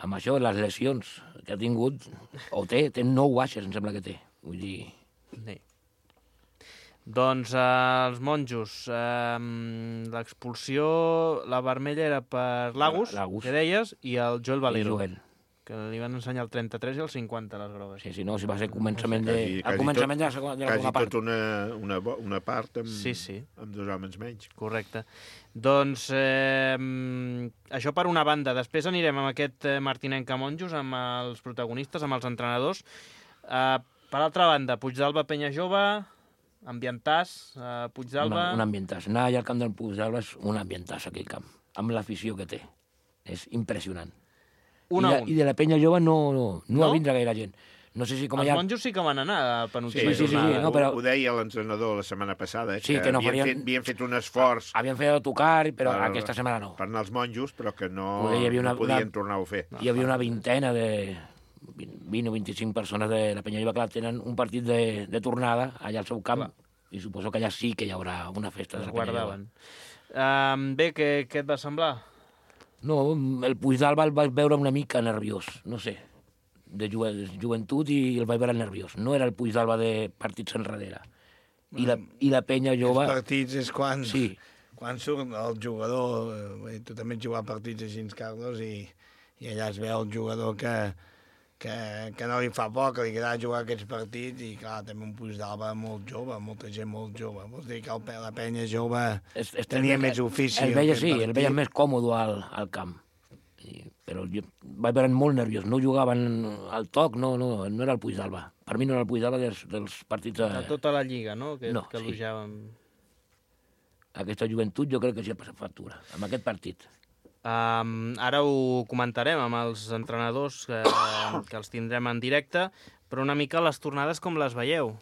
Amb això, les lesions que ha tingut, o té, té nou baixes, em sembla que té. Vull dir... Sí. Doncs eh, els Monjos, eh, l'expulsió, la vermella era per l'Agus, que deies, i el Joel Valero. Joel. que li van ensenyar el trenta-tres i el cinquanta, les grogues. Sí, sí, no, si va ser començament de, Quasi- al quasi començament tot- de la segona, de la Quasi segona part. tot una, una, bo- una part amb, Sí, sí. amb dos homes menys. Correcte. Doncs eh, mm, això per una banda. Després anirem amb aquest eh, Martinenca Monjos, amb els protagonistes, amb els entrenadors. Eh, per altra banda, Puigdàlber Penya Jove, ambientàs, eh, Puigdàlber... Un ambientàs. Anar allà al camp del Puigdàlber és un ambientàs, aquell camp, amb l'afició que té. És impressionant. Un I, a de, un. I de la Penya Jove no, no, no, No? va vindre gaire gent. No sé si com Els allà... monjos sí que van anar a Sí, penúltima sí, sí, jornada. no, però- Ho deia l'entrenador la setmana passada, eh, Sí, que no havien, farien- fet, havien fet un esforç Havien fet el tocar, però per, aquesta setmana no. per anar als monjos, però que no, Poder, hi havia una- no podien una- tornar-ho a fer. Hi havia una vintena de... vint o vint-i-cinc persones de la Penya Jove que tenen un partit de, de tornada allà al seu camp, Clar. i suposo que allà sí que hi haurà una festa de Es la Penya Jove. guardaven. Um, bé, què, què et va semblar? No, el Puigdàlber el vaig veure una mica nerviós, no sé, de ju joventut i el vaig veure nerviós. No era el Puigdàlber de partits enrere. I la, i la Penya Jove... Els partits és quan, Sí. quan surt el jugador, eh, tu també has jugat partits així, Carlos, i, i allà es veu el jugador que, que, que no li fa por, que li agrada jugar aquests partits, i clar, també un Puigdàlber molt jove, molta gent molt jove. Vols dir que el, la Penya Jove Es, es, tenia més ofici. El veia, aquest sí, el partit. veia més còmode al, al camp. I, però jo vaig veure molt nerviós. No jugaven al toc, no, no, no era el Puigdàlber. Per mi no era el Puigdàlber dels, dels partits... De tota la lliga, no? Que, No, que sí. elogiàvem. Aquesta joventut jo crec que sí ha passat factura, amb aquest partit. Um, ara ho comentarem amb els entrenadors que, que els tindrem en directe, però una mica les tornades com les veieu?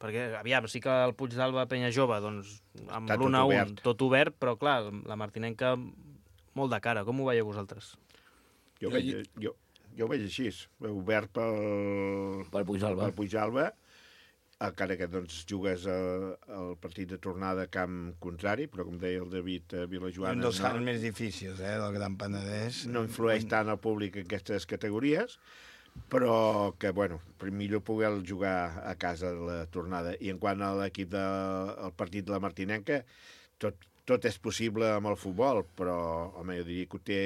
Perquè, aviam, sí que el Puigdàlber Penya Jove, doncs, amb Està tot l'un a un, obert. tot obert, però clar, la Martinenca molt de cara. Com ho veieu vosaltres? Jo, ho veig, jo, jo ho veig així, obert pel, Pel Puigdàlber. pel Puigdàlber, encara que doncs, jugues el, el partit de tornada a camp contrari, però com deia el David eh, Un Vilajoana, dels camps no, més difícils, eh, del Gran Penedès. no influeix tant el públic en aquestes categories, però que, bueno, millor poder jugar a casa de la tornada. I en quant a l'equip del partit de la Martinenca, tot, tot és possible amb el futbol, però, home, jo diria que ho té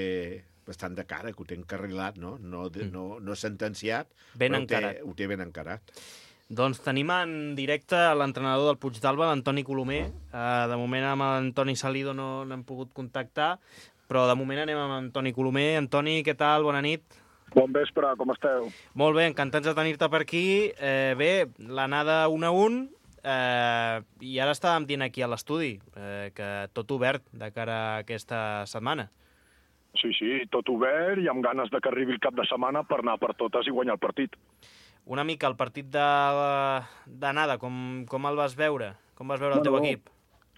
bastant de cara, que ho té encarrilat, no? No, de, no, no sentenciat, Ben però ho té, encarat. ho té ben encarat. Doncs tenim en directe l'entrenador del Puigdàlber, l'Antoni Colomer. Uh, de moment amb l'Antoni Salido no l'hem pogut contactar, però de moment anem amb Antoni Colomer. Antoni, què tal? Bona nit. Bon vespre, com esteu? Molt bé, encantats de tenir-te per aquí. Eh, bé, l'anada un a un, eh, i ara estàvem dient aquí a l'estudi eh, que tot obert de cara a aquesta setmana. Sí, sí, tot obert i amb ganes de que arribi el cap de setmana per anar per totes i guanyar el partit. Una mica el partit de- d'anada, com, com el vas veure? Com vas veure el teu Bueno, equip?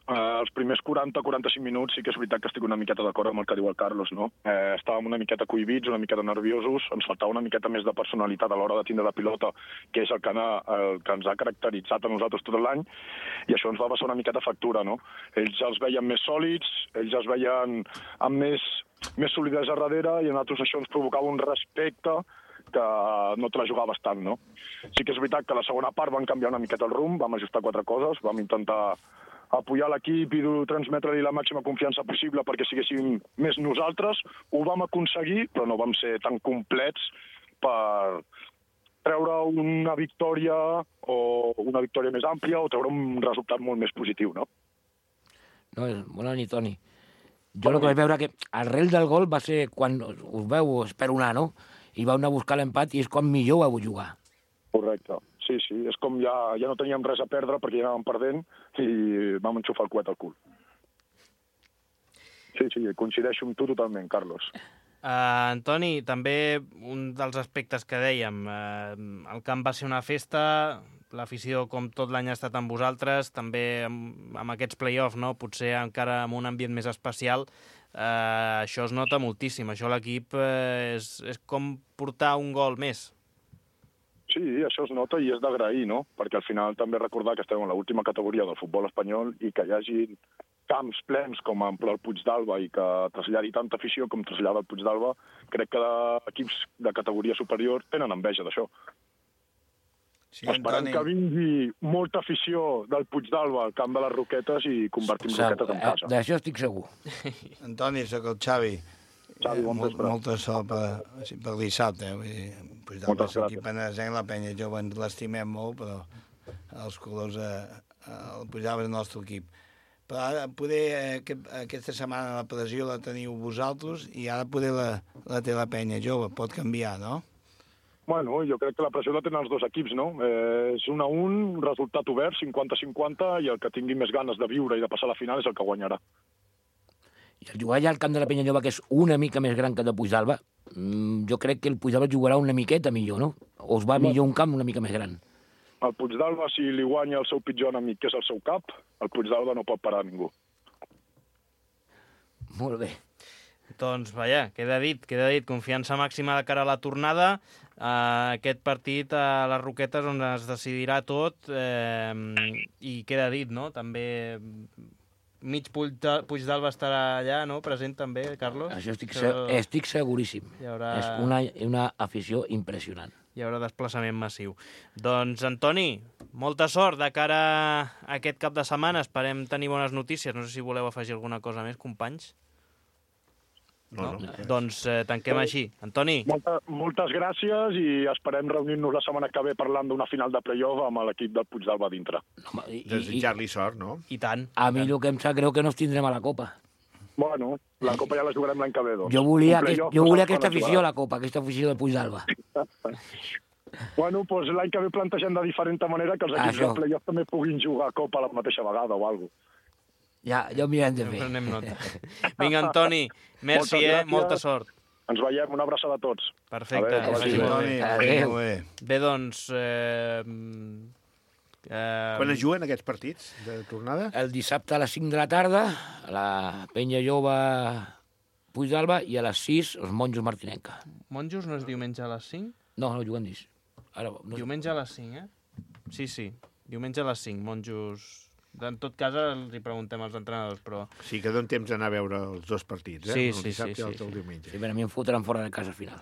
Eh, els primers quaranta a quaranta-cinc minuts sí que és veritat que estic una miqueta d'acord amb el que diu el Carlos, no? Eh, estàvem una miqueta cohibits, una miqueta nerviosos, ens faltava una miqueta més de personalitat a l'hora de tindre la pilota, que és el que, ana, el que ens ha caracteritzat a nosaltres tot l'any, i això ens va passar una miqueta factura, no? Ells els veien més sòlids, ells els veien amb més, més solidesa darrere, i a nosaltres això ens provocava un respecte que no te la jugaves tant, no? Sí que és veritat que a la segona part van canviar una miqueta el rumb, vam ajustar quatre coses, vam intentar apoyar l'equip i transmetre-li la màxima confiança possible perquè siguéssim més nosaltres. Ho vam aconseguir, però no vam ser tan complets per treure una victòria o una victòria més àmplia o treure un resultat molt més positiu, no? No, bona nit, Toni. Jo el que vaig veure que arrel del gol va ser quan us veu esperonar, no? I vau anar a buscar l'empat i és quan millor vau jugar. Correcte. Sí, sí, és com ja, ja no teníem res a perdre perquè ja anàvem perdent i vam enxufar el coet al cul. Sí, sí, coincideixo amb tu totalment, Carlos. Uh, Antoni, també un dels aspectes que dèiem, uh, el camp va ser una festa, l'afició com tot l'any ha estat amb vosaltres, també amb, amb aquests play-offs, no? Potser encara amb un ambient més especial, uh, això es nota moltíssim, això a l'equip uh, és, és com portar un gol més. Sí, això es nota i és d'agrair, no? Perquè al final també recordar que estem en l'última categoria del futbol espanyol i que hi hagi camps plens com el Puigdàlber i que traslladi tanta afició com trasllada el Puigdàlber, crec que equips de categoria superior tenen enveja d'això. Sí, Esperem Antoni. que vingui molta afició del Puigdàlber al camp de les Roquetes i convertim Segur, Roquetes en eh, casa. D'això estic segur. Antoni, sóc el Xavi. Xavi, bon Molt, vespre. molta sort per, sí, per dissabte. Vull dir, pues, Moltes del equip gràcies. penesenc, la penya jove ens l'estimem molt, però els colors eh, el pujava el nostre equip. Però ara poder, eh, aquest, aquesta setmana la pressió la teniu vosaltres i ara poder la, la té la penya jove. Pot canviar, no? Bueno, jo crec que la pressió la tenen els dos equips, no? Eh, és un a un, resultat obert, cinquanta cinquanta, i el que tingui més ganes de viure i de passar a la final és el que guanyarà. I el jugar allà al camp de la Penyajove, que és una mica més gran que el de Puigdàlber, jo crec que el Puigdàlber jugarà una miqueta millor, no? O es va millor un camp una mica més gran. El Puigdàlber, si li guanya el seu pitjor enemic, que és el seu cap, el Puigdàlber no pot parar ningú. Molt bé. Doncs, vaja, queda dit, queda dit. Confiança màxima de cara a la tornada. Uh, aquest partit a les Roquetes on es decidirà tot eh, i queda dit, no? També mig Puigdàlber estarà allà, no? Present també, Carlos? Això estic, se estic seguríssim. Haurà... És una, una afició impressionant. Hi haurà desplaçament massiu. Doncs, Antoni, molta sort de cara a aquest cap de setmana. Esperem tenir bones notícies. No sé si voleu afegir alguna cosa més, companys. No, no. no? Doncs eh, tanquem així. Antoni. Molta, moltes gràcies i esperem reunir-nos la setmana que ve parlant d'una final de play-off amb l'equip del Puigdàlber dintre. No, i, Desitjar-li sort, no? I tant. A mi el que em sap greu que no ens tindrem a la Copa. Bueno, la Copa ja la jugarem l'any que ve, doncs. Jo volia, Un aquest, play-off jo no volia saps aquesta quan es afició a jugarà. la Copa, aquesta afició del Puigdàlber. Bueno, doncs l'any que ve plantegem de diferent manera que els equips Això. de play-off també puguin jugar a Copa a la mateixa vegada o alguna cosa. Ja, ja ho mirem de fer. Prenem nota. Vinga, Antoni, merci, Moltes eh? gràcies. Molta sort. Ens veiem, una abraçada a tots. Perfecte. A veure, Vagi que molt vagi bé. bé. Adéu. Bé. Bé, doncs... Eh, eh, Quan es juguen aquests partits de tornada? El dissabte a les cinc de la tarda, a la Penya Jove Puigdàlber, i a les sis, els Monjos Martinenca. Monjos no és diumenge a les cinc? No, no juguen dis. Ara, no... Diumenge a les cinc, eh? Sí, sí. Diumenge a les cinc, Monjos... En tot cas, els hi preguntem als entrenadors, però... Sí, que donen temps d'anar a veure els dos partits, eh? Sí, el sí, dissabte sí, i el sí, del sí. diumenge. Sí, però a mi em fotran fora de casa al final.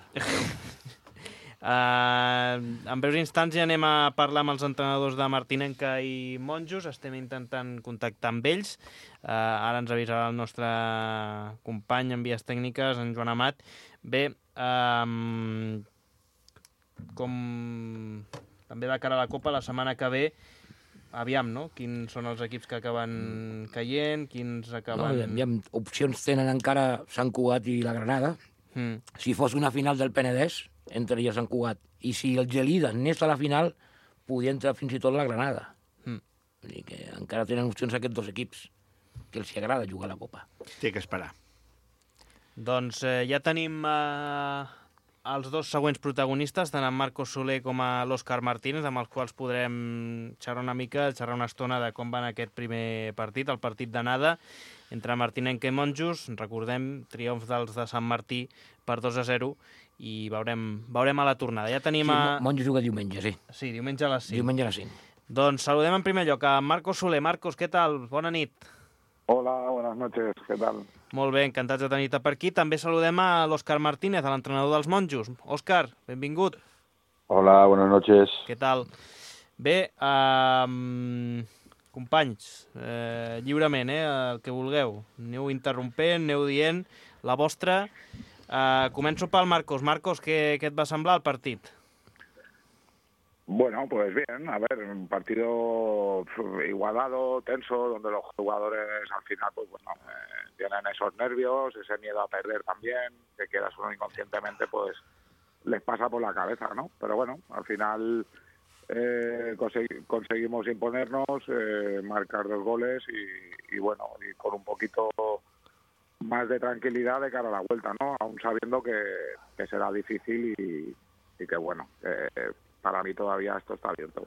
Uh, en breus instants ja anem a parlar amb els entrenadors de Martinenca i Monjos. Estem intentant contactar amb ells. Uh, ara ens avisarà el nostre company en vies tècniques, en Joan Amat. Bé, um, com també de cara a la Copa, la setmana que ve, aviam, no? Quins són els equips que acaben caient, quins No, acaben... hi ha opcions tenen encara Sant Cugat i la Granada. Mm. Si fos una final del Penedès, entraria Sant Cugat. I si el Gelida anés a la final, podria entrar fins i tot la Granada. Mm. Vull dir que encara tenen opcions aquests dos equips, que els agrada jugar a la Copa. Té que esperar. Doncs eh, ja tenim eh, els dos següents protagonistes, tant en Marcos Soler com a l'Òscar Martínez, amb els quals podrem xerrar una mica, xerrar una estona de com va anar aquest primer partit, el partit d'anada entre Martinenca i Monjos. Recordem, triomf dels de Sant Martí per dos a zero, i veurem, veurem a la tornada. Ja tenim a... Sí, Monjos juga diumenge, sí. Sí, diumenge a les cinc. Diumenge a les cinc. Doncs saludem en primer lloc a Marcos Soler. Marcos, què tal? Bona nit. Hola, buenas noches, ¿qué tal? Molt bé, encantats de tenir-te per aquí. També saludem a l'Òscar Martínez, a l'entrenador dels Monjos. Òscar, benvingut. Hola, buenas noches. Què tal? Bé, um, companys, eh, lliurement, eh, el que vulgueu. Aneu interrompent, aneu dient la vostra. Uh, començo pel Marcos. Marcos, què, què et va semblar el partit? Bueno, pues bien, a ver, un partido igualado, tenso, donde los jugadores al final, pues bueno, eh, tienen esos nervios, ese miedo a perder también, que quieras uno inconscientemente, pues les pasa por la cabeza, ¿no? Pero bueno, al final eh, consegui- conseguimos imponernos, eh, marcar dos goles y, y bueno, y con un poquito más de tranquilidad de cara a la vuelta, ¿no? Aún sabiendo que, que será difícil y, y que bueno, eh, para mí todavía esto está abierto.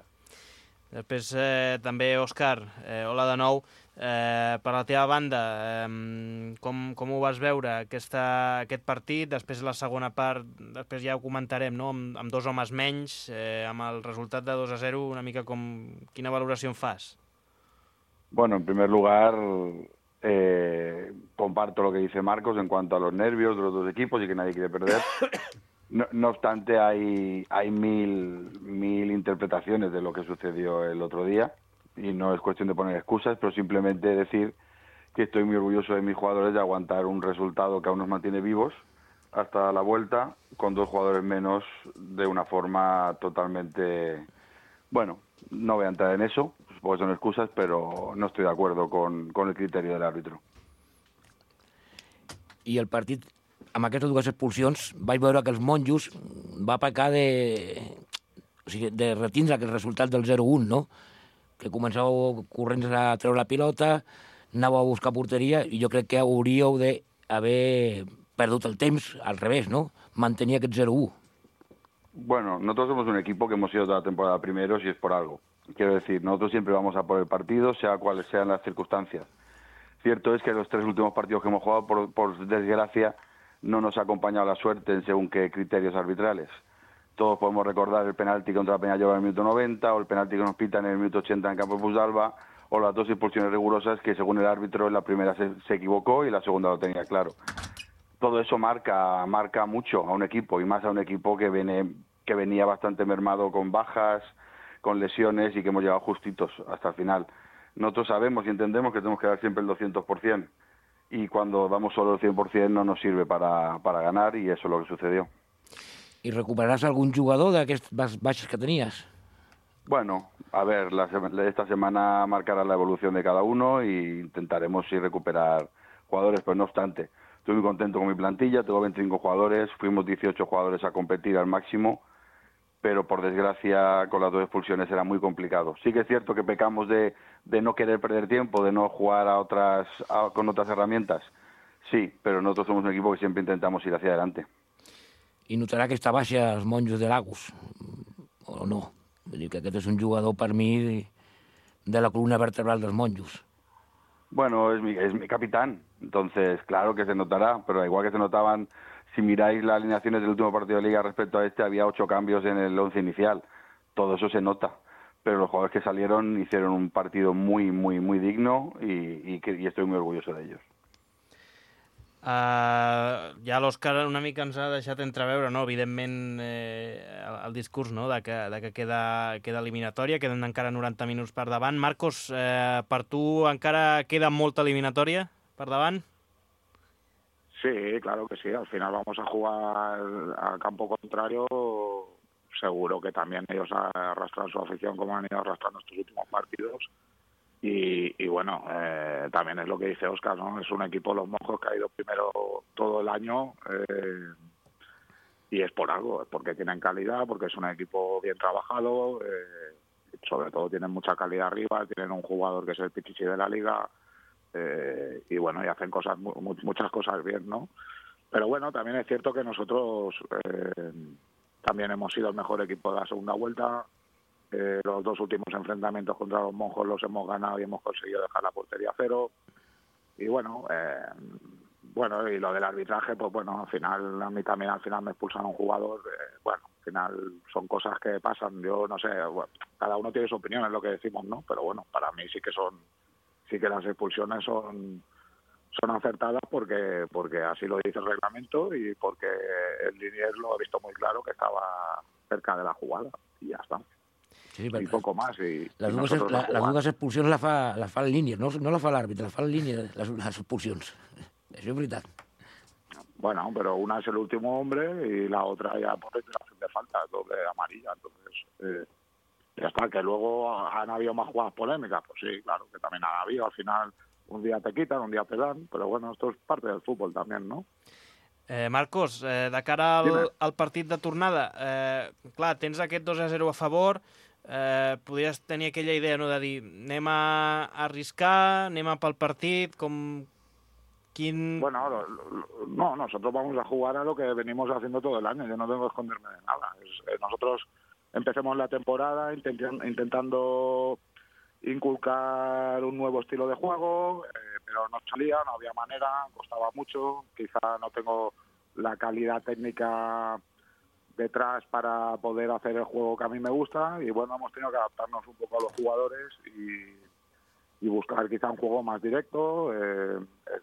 Després eh, també, Òscar, eh, hola de nou. Eh, per la teva banda, eh, com, com ho vas veure aquesta, aquest partit? Després la segona part, després ja ho comentarem, no? amb, amb dos homes menys, eh, amb el resultat de dos a zero, una mica com... Quina valoració en fas? Bueno, en primer lugar, eh, comparto lo que dice Marcos en cuanto a los nervios de los dos equipos y que nadie quiere perder. No, no obstante, hay, hay mil, mil interpretaciones de lo que sucedió el otro día y no es cuestión de poner excusas, pero simplemente decir que estoy muy orgulloso de mis jugadores de aguantar un resultado que aún nos mantiene vivos hasta la vuelta con dos jugadores menos de una forma totalmente... Bueno, no voy a entrar en eso, porque son excusas, pero no estoy de acuerdo con, con el criterio del árbitro. I el partit, amb aquestes dues expulsions, vaig veure que els monjos va pecar de, o sigui, de retindre aquest resultat del zero un, no? Que començàveu corrents a treure la pilota, anàveu a buscar porteria, i jo crec que hauríeu d'haver perdut el temps al revés, ¿no? Mantenir aquest zero uno. Bueno, nosotros somos un equipo que hemos sido toda la temporada primeros y es por algo. Quiero decir, nosotros siempre vamos a por el partido, sea cuales sean las circunstancias. Cierto es que los tres últimos partidos que hemos jugado, por, por desgracia, no nos ha acompañado la suerte en según qué criterios arbitrales. Todos podemos recordar el penalti contra la Peñalloba en el minuto noventa, o el penalti que nos pitan en el minuto ochenta en campo de Puigdàlber, o las dos expulsiones rigurosas que según el árbitro en la primera se, se equivocó y en la segunda lo tenía claro. Todo eso marca marca mucho a un equipo, y más a un equipo que viene que venía bastante mermado con bajas, con lesiones, y que hemos llegado justitos hasta el final. Nosotros sabemos y entendemos que tenemos que dar siempre el doscientos por ciento, y cuando damos solo el cien por ciento no nos sirve para, para ganar, y eso es lo que sucedió. ¿Y recuperarás algún jugador d'aquests baixes que tenías? Bueno, a ver, la, esta semana marcará la evolución de cada uno e intentaremos sí recuperar jugadores, pero no obstante, estoy muy contento con mi plantilla, tengo veinticinco jugadores, fuimos dieciocho jugadores a competir al máximo, pero por desgracia con las dos expulsiones era muy complicado. Sí que es cierto que pecamos de, de no querer perder tiempo, de no jugar a otras a, con otras herramientas, sí, pero nosotros somos un equipo que siempre intentamos ir hacia adelante. I notarà aquesta baixa els monjos de Lagos, o no? Vull dir que aquest és un jugador per mi de la columna vertebral dels monjos. Bueno, es mi, es mi capitán, entonces claro que se notará, pero igual que se notaban, si miráis las alineaciones del último partido de Liga respecto a este, había ocho cambios en el once inicial, todo eso se nota, pero los jugadores que salieron hicieron un partido muy, muy, muy digno y, y, que, y estoy muy orgulloso de ellos. Uh, ja l'Òscar una mica ens ha deixat entreveure, no? Evidentment, eh, el, el discurs, no? de que, de que queda, queda eliminatòria, queden encara noranta minuts per davant. Marcos, eh, per tu encara queda molta eliminatòria per davant? Sí, claro que sí. Al final vamos a jugar al campo contrario. Seguro que también ellos arrastran su afición como han ido arrastrando estos últimos partidos. Y, y bueno, eh, también es lo que dice Óscar, ¿no? Es un equipo, los Monjos, que ha ido primero todo el año eh, y es por algo, es porque tienen calidad, porque es un equipo bien trabajado, eh, sobre todo tienen mucha calidad arriba, tienen un jugador que es el Pichichi de la Liga eh, y bueno, y hacen cosas mu muchas cosas bien, ¿no? Pero bueno, también es cierto que nosotros eh, también hemos sido el mejor equipo de la segunda vuelta. Eh, los dos últimos enfrentamientos contra los Monjos los hemos ganado y hemos conseguido dejar la portería a cero. Y bueno, eh, bueno y lo del arbitraje, pues bueno, al final, a mí también al final me expulsan a un jugador. Eh, bueno, al final son cosas que pasan. Yo no sé, bueno, cada uno tiene su opinión, es lo que decimos, ¿no? Pero bueno, para mí sí que son, sí que las expulsiones son, son acertadas porque, porque así lo dice el reglamento y porque el linier lo ha visto muy claro que estaba cerca de la jugada y ya está. Sí, i poco más. I, les, i dues, la, les dues expulsions la fa, la fa en línia, no, no la fa l'àrbitre, la fa en línia, les, les expulsions. Això és veritat. Bueno, pero una es el último hombre y la otra ya por declaración de falta, doble amarilla. Entonces, eh, ya está, que luego han habido más jugadas polémicas, pues sí, claro, que también han habido. Al final, un día te quitan, un día te dan, pero bueno, esto es parte del fútbol también, ¿no? Eh, Marcos, eh, de cara al, al partit de tornada, eh, clar, tens aquest dos a zero a favor, eh, podries tenir aquella idea, no?, de dir, anem a arriscar, anem a pel partit, com... Quin... Bueno, lo, lo, no, nosotros vamos a jugar a lo que venimos haciendo todo el año, yo no tengo que esconderme de nada. Es, eh, nosotros empecemos la temporada intent, intentando inculcar un nuevo estilo de juego, eh, pero no salía, no había manera, costaba mucho, quizá no tengo la calidad técnica detrás para poder hacer el juego que a mí me gusta y bueno, hemos tenido que adaptarnos un poco a los jugadores y, y buscar quizá un juego más directo, eh,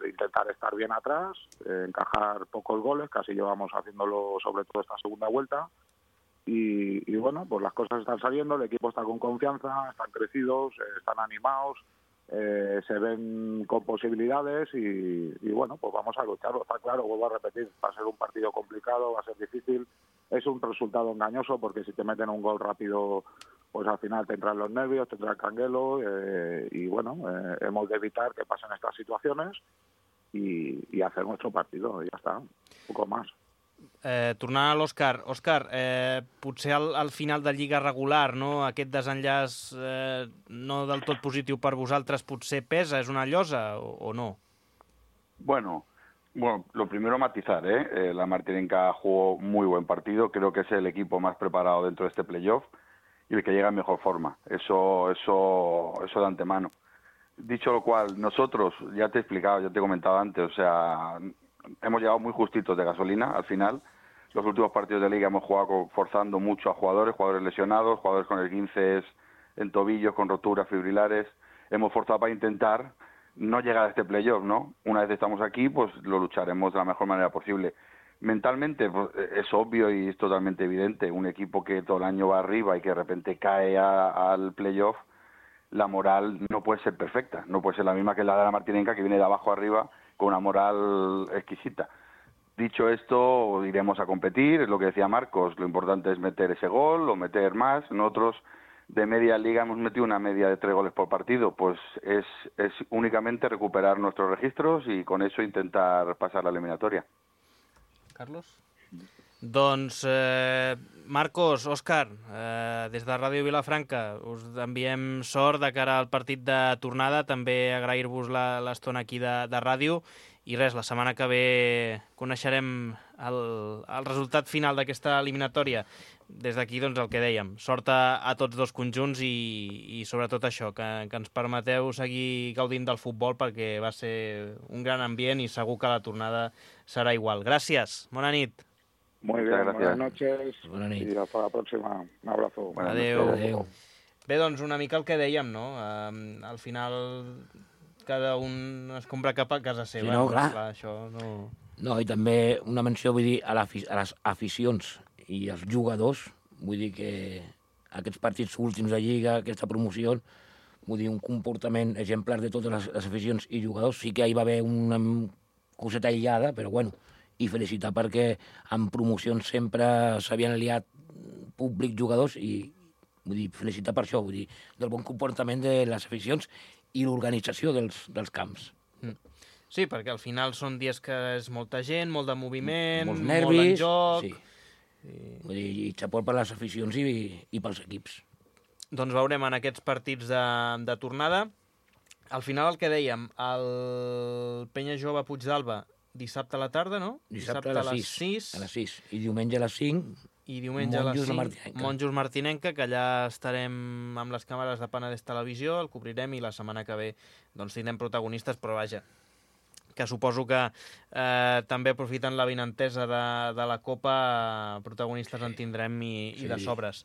intentar estar bien atrás, eh, encajar pocos goles, casi llevamos haciéndolo sobre todo esta segunda vuelta. Y, y bueno, pues las cosas están saliendo, el equipo está con confianza, están crecidos, eh, están animados, eh, se ven con posibilidades y, y bueno, pues vamos a lucharlo. Está claro, vuelvo a repetir, va a ser un partido complicado, va a ser difícil, es un resultado engañoso porque si te meten un gol rápido, pues al final te entran los nervios, te entra el canguelo eh, y bueno, eh, hemos de evitar que pasen estas situaciones y, y hacer nuestro partido, y ya está, un poco más. Eh, tornant a l'Òscar, Òscar, eh, potser al, al final de lliga regular, no? Aquest desenllaç eh, no del tot positiu per vosaltres potser pesa, és una llosa o, o no? Bueno, bueno, lo primero matizar, ¿eh? Eh, la Martinenca jugó muy buen partido, creo que es el equipo más preparado dentro de este playoff y el que llega en mejor forma, eso, eso, eso de antemano. Dicho lo cual, nosotros, ya te he explicado, ya te he comentado antes, o sea, hemos llegado muy justitos de gasolina al final. Los últimos partidos de liga hemos jugado forzando mucho a jugadores, jugadores lesionados, jugadores con esguinces en tobillos, con roturas fibrilares. Hemos forzado para intentar no llegar a este playoff, ¿no? Una vez estamos aquí, pues lo lucharemos de la mejor manera posible. Mentalmente, pues, es obvio y es totalmente evidente. Un equipo que todo el año va arriba y que de repente cae a, al playoff, la moral no puede ser perfecta. No puede ser la misma que la de la Martinenca, que viene de abajo arriba con una moral exquisita. Dicho esto, iremos a competir, es lo que decía Marcos, lo importante es meter ese gol o meter más. Nosotros de media liga hemos metido una media de tres goles por partido, pues es, es únicamente recuperar nuestros registros y con eso intentar pasar la eliminatoria. Carlos? Doncs, eh, Marcos, Òscar, eh, des de Ràdio Vilafranca us enviem sort de cara al partit de tornada, també agrair-vos l'estona aquí de, de ràdio i res, la setmana que ve coneixerem el, el resultat final d'aquesta eliminatòria. Des d'aquí, doncs, el que dèiem, sort a, a tots dos conjunts i, i sobretot això, que, que ens permeteu seguir gaudint del futbol perquè va ser un gran ambient i segur que la tornada serà igual. Gràcies, bona nit. Muy bien, buenas noches y hasta la próxima. Un abrazo. Adéu. Adéu. Bé, doncs una mica el que dèiem, no? Um, al final cada un es compra cap a casa seva. Sí, no, clar. clar això no... No, i també una menció, vull dir, a, la, a les aficions i als jugadors, vull dir que aquests partits últims de Lliga, aquesta promoció, vull dir, un comportament exemplar de totes les, les aficions i jugadors. Sí que hi va haver una coseta aïllada, però bueno, i felicitar perquè en promocions sempre s'havien aliat públic, jugadors, i vull dir, felicitar per això, vull dir, del bon comportament de les aficions i l'organització dels, dels camps. Mm. Sí, perquè al final són dies que és molta gent, molt de moviment, molts nervis, molt en joc... Sí. I... Vull dir, i xapó per les aficions i, i pels equips. Doncs veurem en aquests partits de, de tornada. Al final el que dèiem, el Penya Jove Puigdàlber dissabte a la tarda, no? Dissabte, dissabte a les sis. A les sis. I diumenge a les cinc. I diumenge Monjos a les cinc. Monjos Martinenca, que allà estarem amb les càmeres de Penedès Televisió, el cobrirem i la setmana que ve doncs, tindrem protagonistes, però vaja, que suposo que eh, també aprofitant la vinentesa de, de la Copa, protagonistes en tindrem i, sí. i de sobres.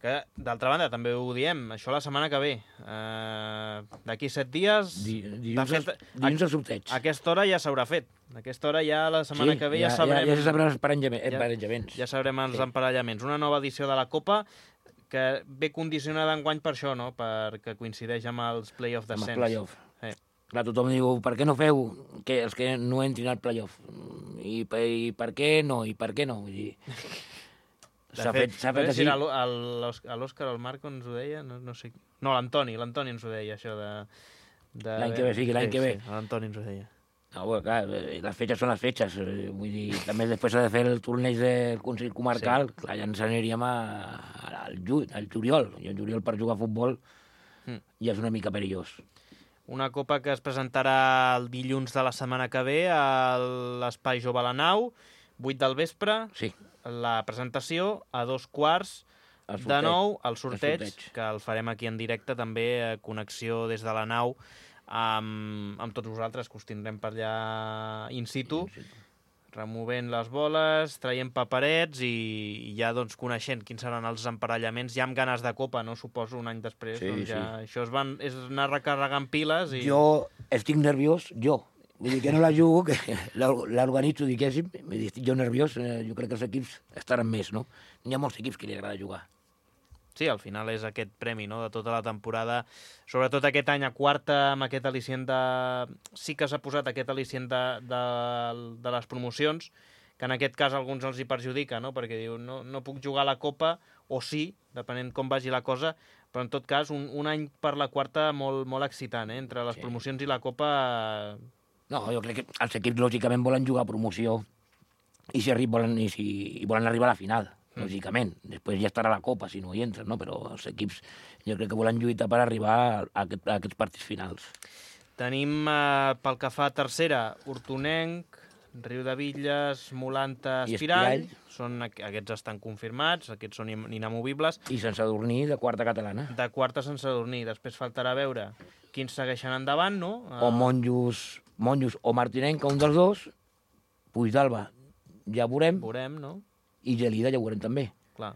Que, d'altra banda, també ho diem, això la setmana que ve. Eh, D'aquí set dies... Di, dilluns, fet, dilluns al sorteig. A aquesta hora ja s'haurà fet. A aquesta hora ja la setmana sí, que ve ja, ja sabrem... Ja, ja se sabrem els emparellaments. Ja, ja sabrem els sí. emparellaments. Una nova edició de la Copa que ve condicionada enguany per això, no? Perquè coincideix amb els play-off descens. Amb els play-off. Sí. Clar, tothom diu, per què no feu que els que no entrin al playoff? I, I per què no? I per què no? Vull dir... S'ha fet, s'ha fet així. L'Òscar o el Marc ens ho deia? No, no sé. No, l'Antoni, l'Antoni ens ho deia, això de... de... L'any que ve, sí, l'any sí, que ve. Sí, l'Antoni ens ho deia. No, bueno, clar, les fetges són les fetges. Vull dir, també després s'ha de fer el torneig del Consell Comarcal. Sí. Clar, ja ens aniríem a, al, ju, al juliol. I el juliol per jugar a futbol mm. ja és una mica perillós. Una copa que es presentarà el dilluns de la setmana que ve a l'Espai Jove a la Nau, vuit del vespre, sí. La presentació, a dos quarts de nou, el sorteig, el sorteig, que el farem aquí en directe, també a connexió des de la nau amb, amb tots vosaltres, que us tindrem per allà in situ, in situ. Removent les boles, traient paperets i, i ja doncs, coneixent quins seran els emparellaments, ja amb ganes de copa, no? Suposo un any després, sí, doncs ja sí. Això es van, és anar recarregant piles i... Jo estic nerviós, jo. Vull dir que no la jugo, que l'organitzo, diguéssim, estic jo nerviós, jo crec que els equips estaran més, no? N'hi ha molts equips que li agrada jugar. Sí, al final és aquest premi, no?, de tota la temporada. Sobretot aquest any a quarta, amb aquest al·licient de... Sí que s'ha posat aquest al·licient de, de, de les promocions, que en aquest cas a alguns els hi perjudica, no?, perquè diu, no, no puc jugar a la Copa, o sí, depenent com vagi la cosa, però en tot cas un, un any per la quarta molt, molt excitant, eh?, entre les sí. promocions i la Copa... No, jo crec que els equips lògicament volen jugar a promoció i si arri volen, i si, i volen arribar a la final. Lògicament. Després ja estarà la Copa, si no hi entres, no? Però els equips jo crec que volen lluitar per arribar a, aquest, a aquests partits finals. Tenim, eh, pel que fa a tercera, Hortonenc, Riu de Villes, Molanta, Espirall. Són, aquests estan confirmats, aquests són inamovibles. I Sant Sadurní, de quarta catalana. De quarta Sant Sadurní. Després faltarà veure quins segueixen endavant, no? O Monjos, Monjos o Martinenc, un dels dos. Puigdalba, ja veurem. Veurem, no? I Gelida ja ho veurem també. Clar.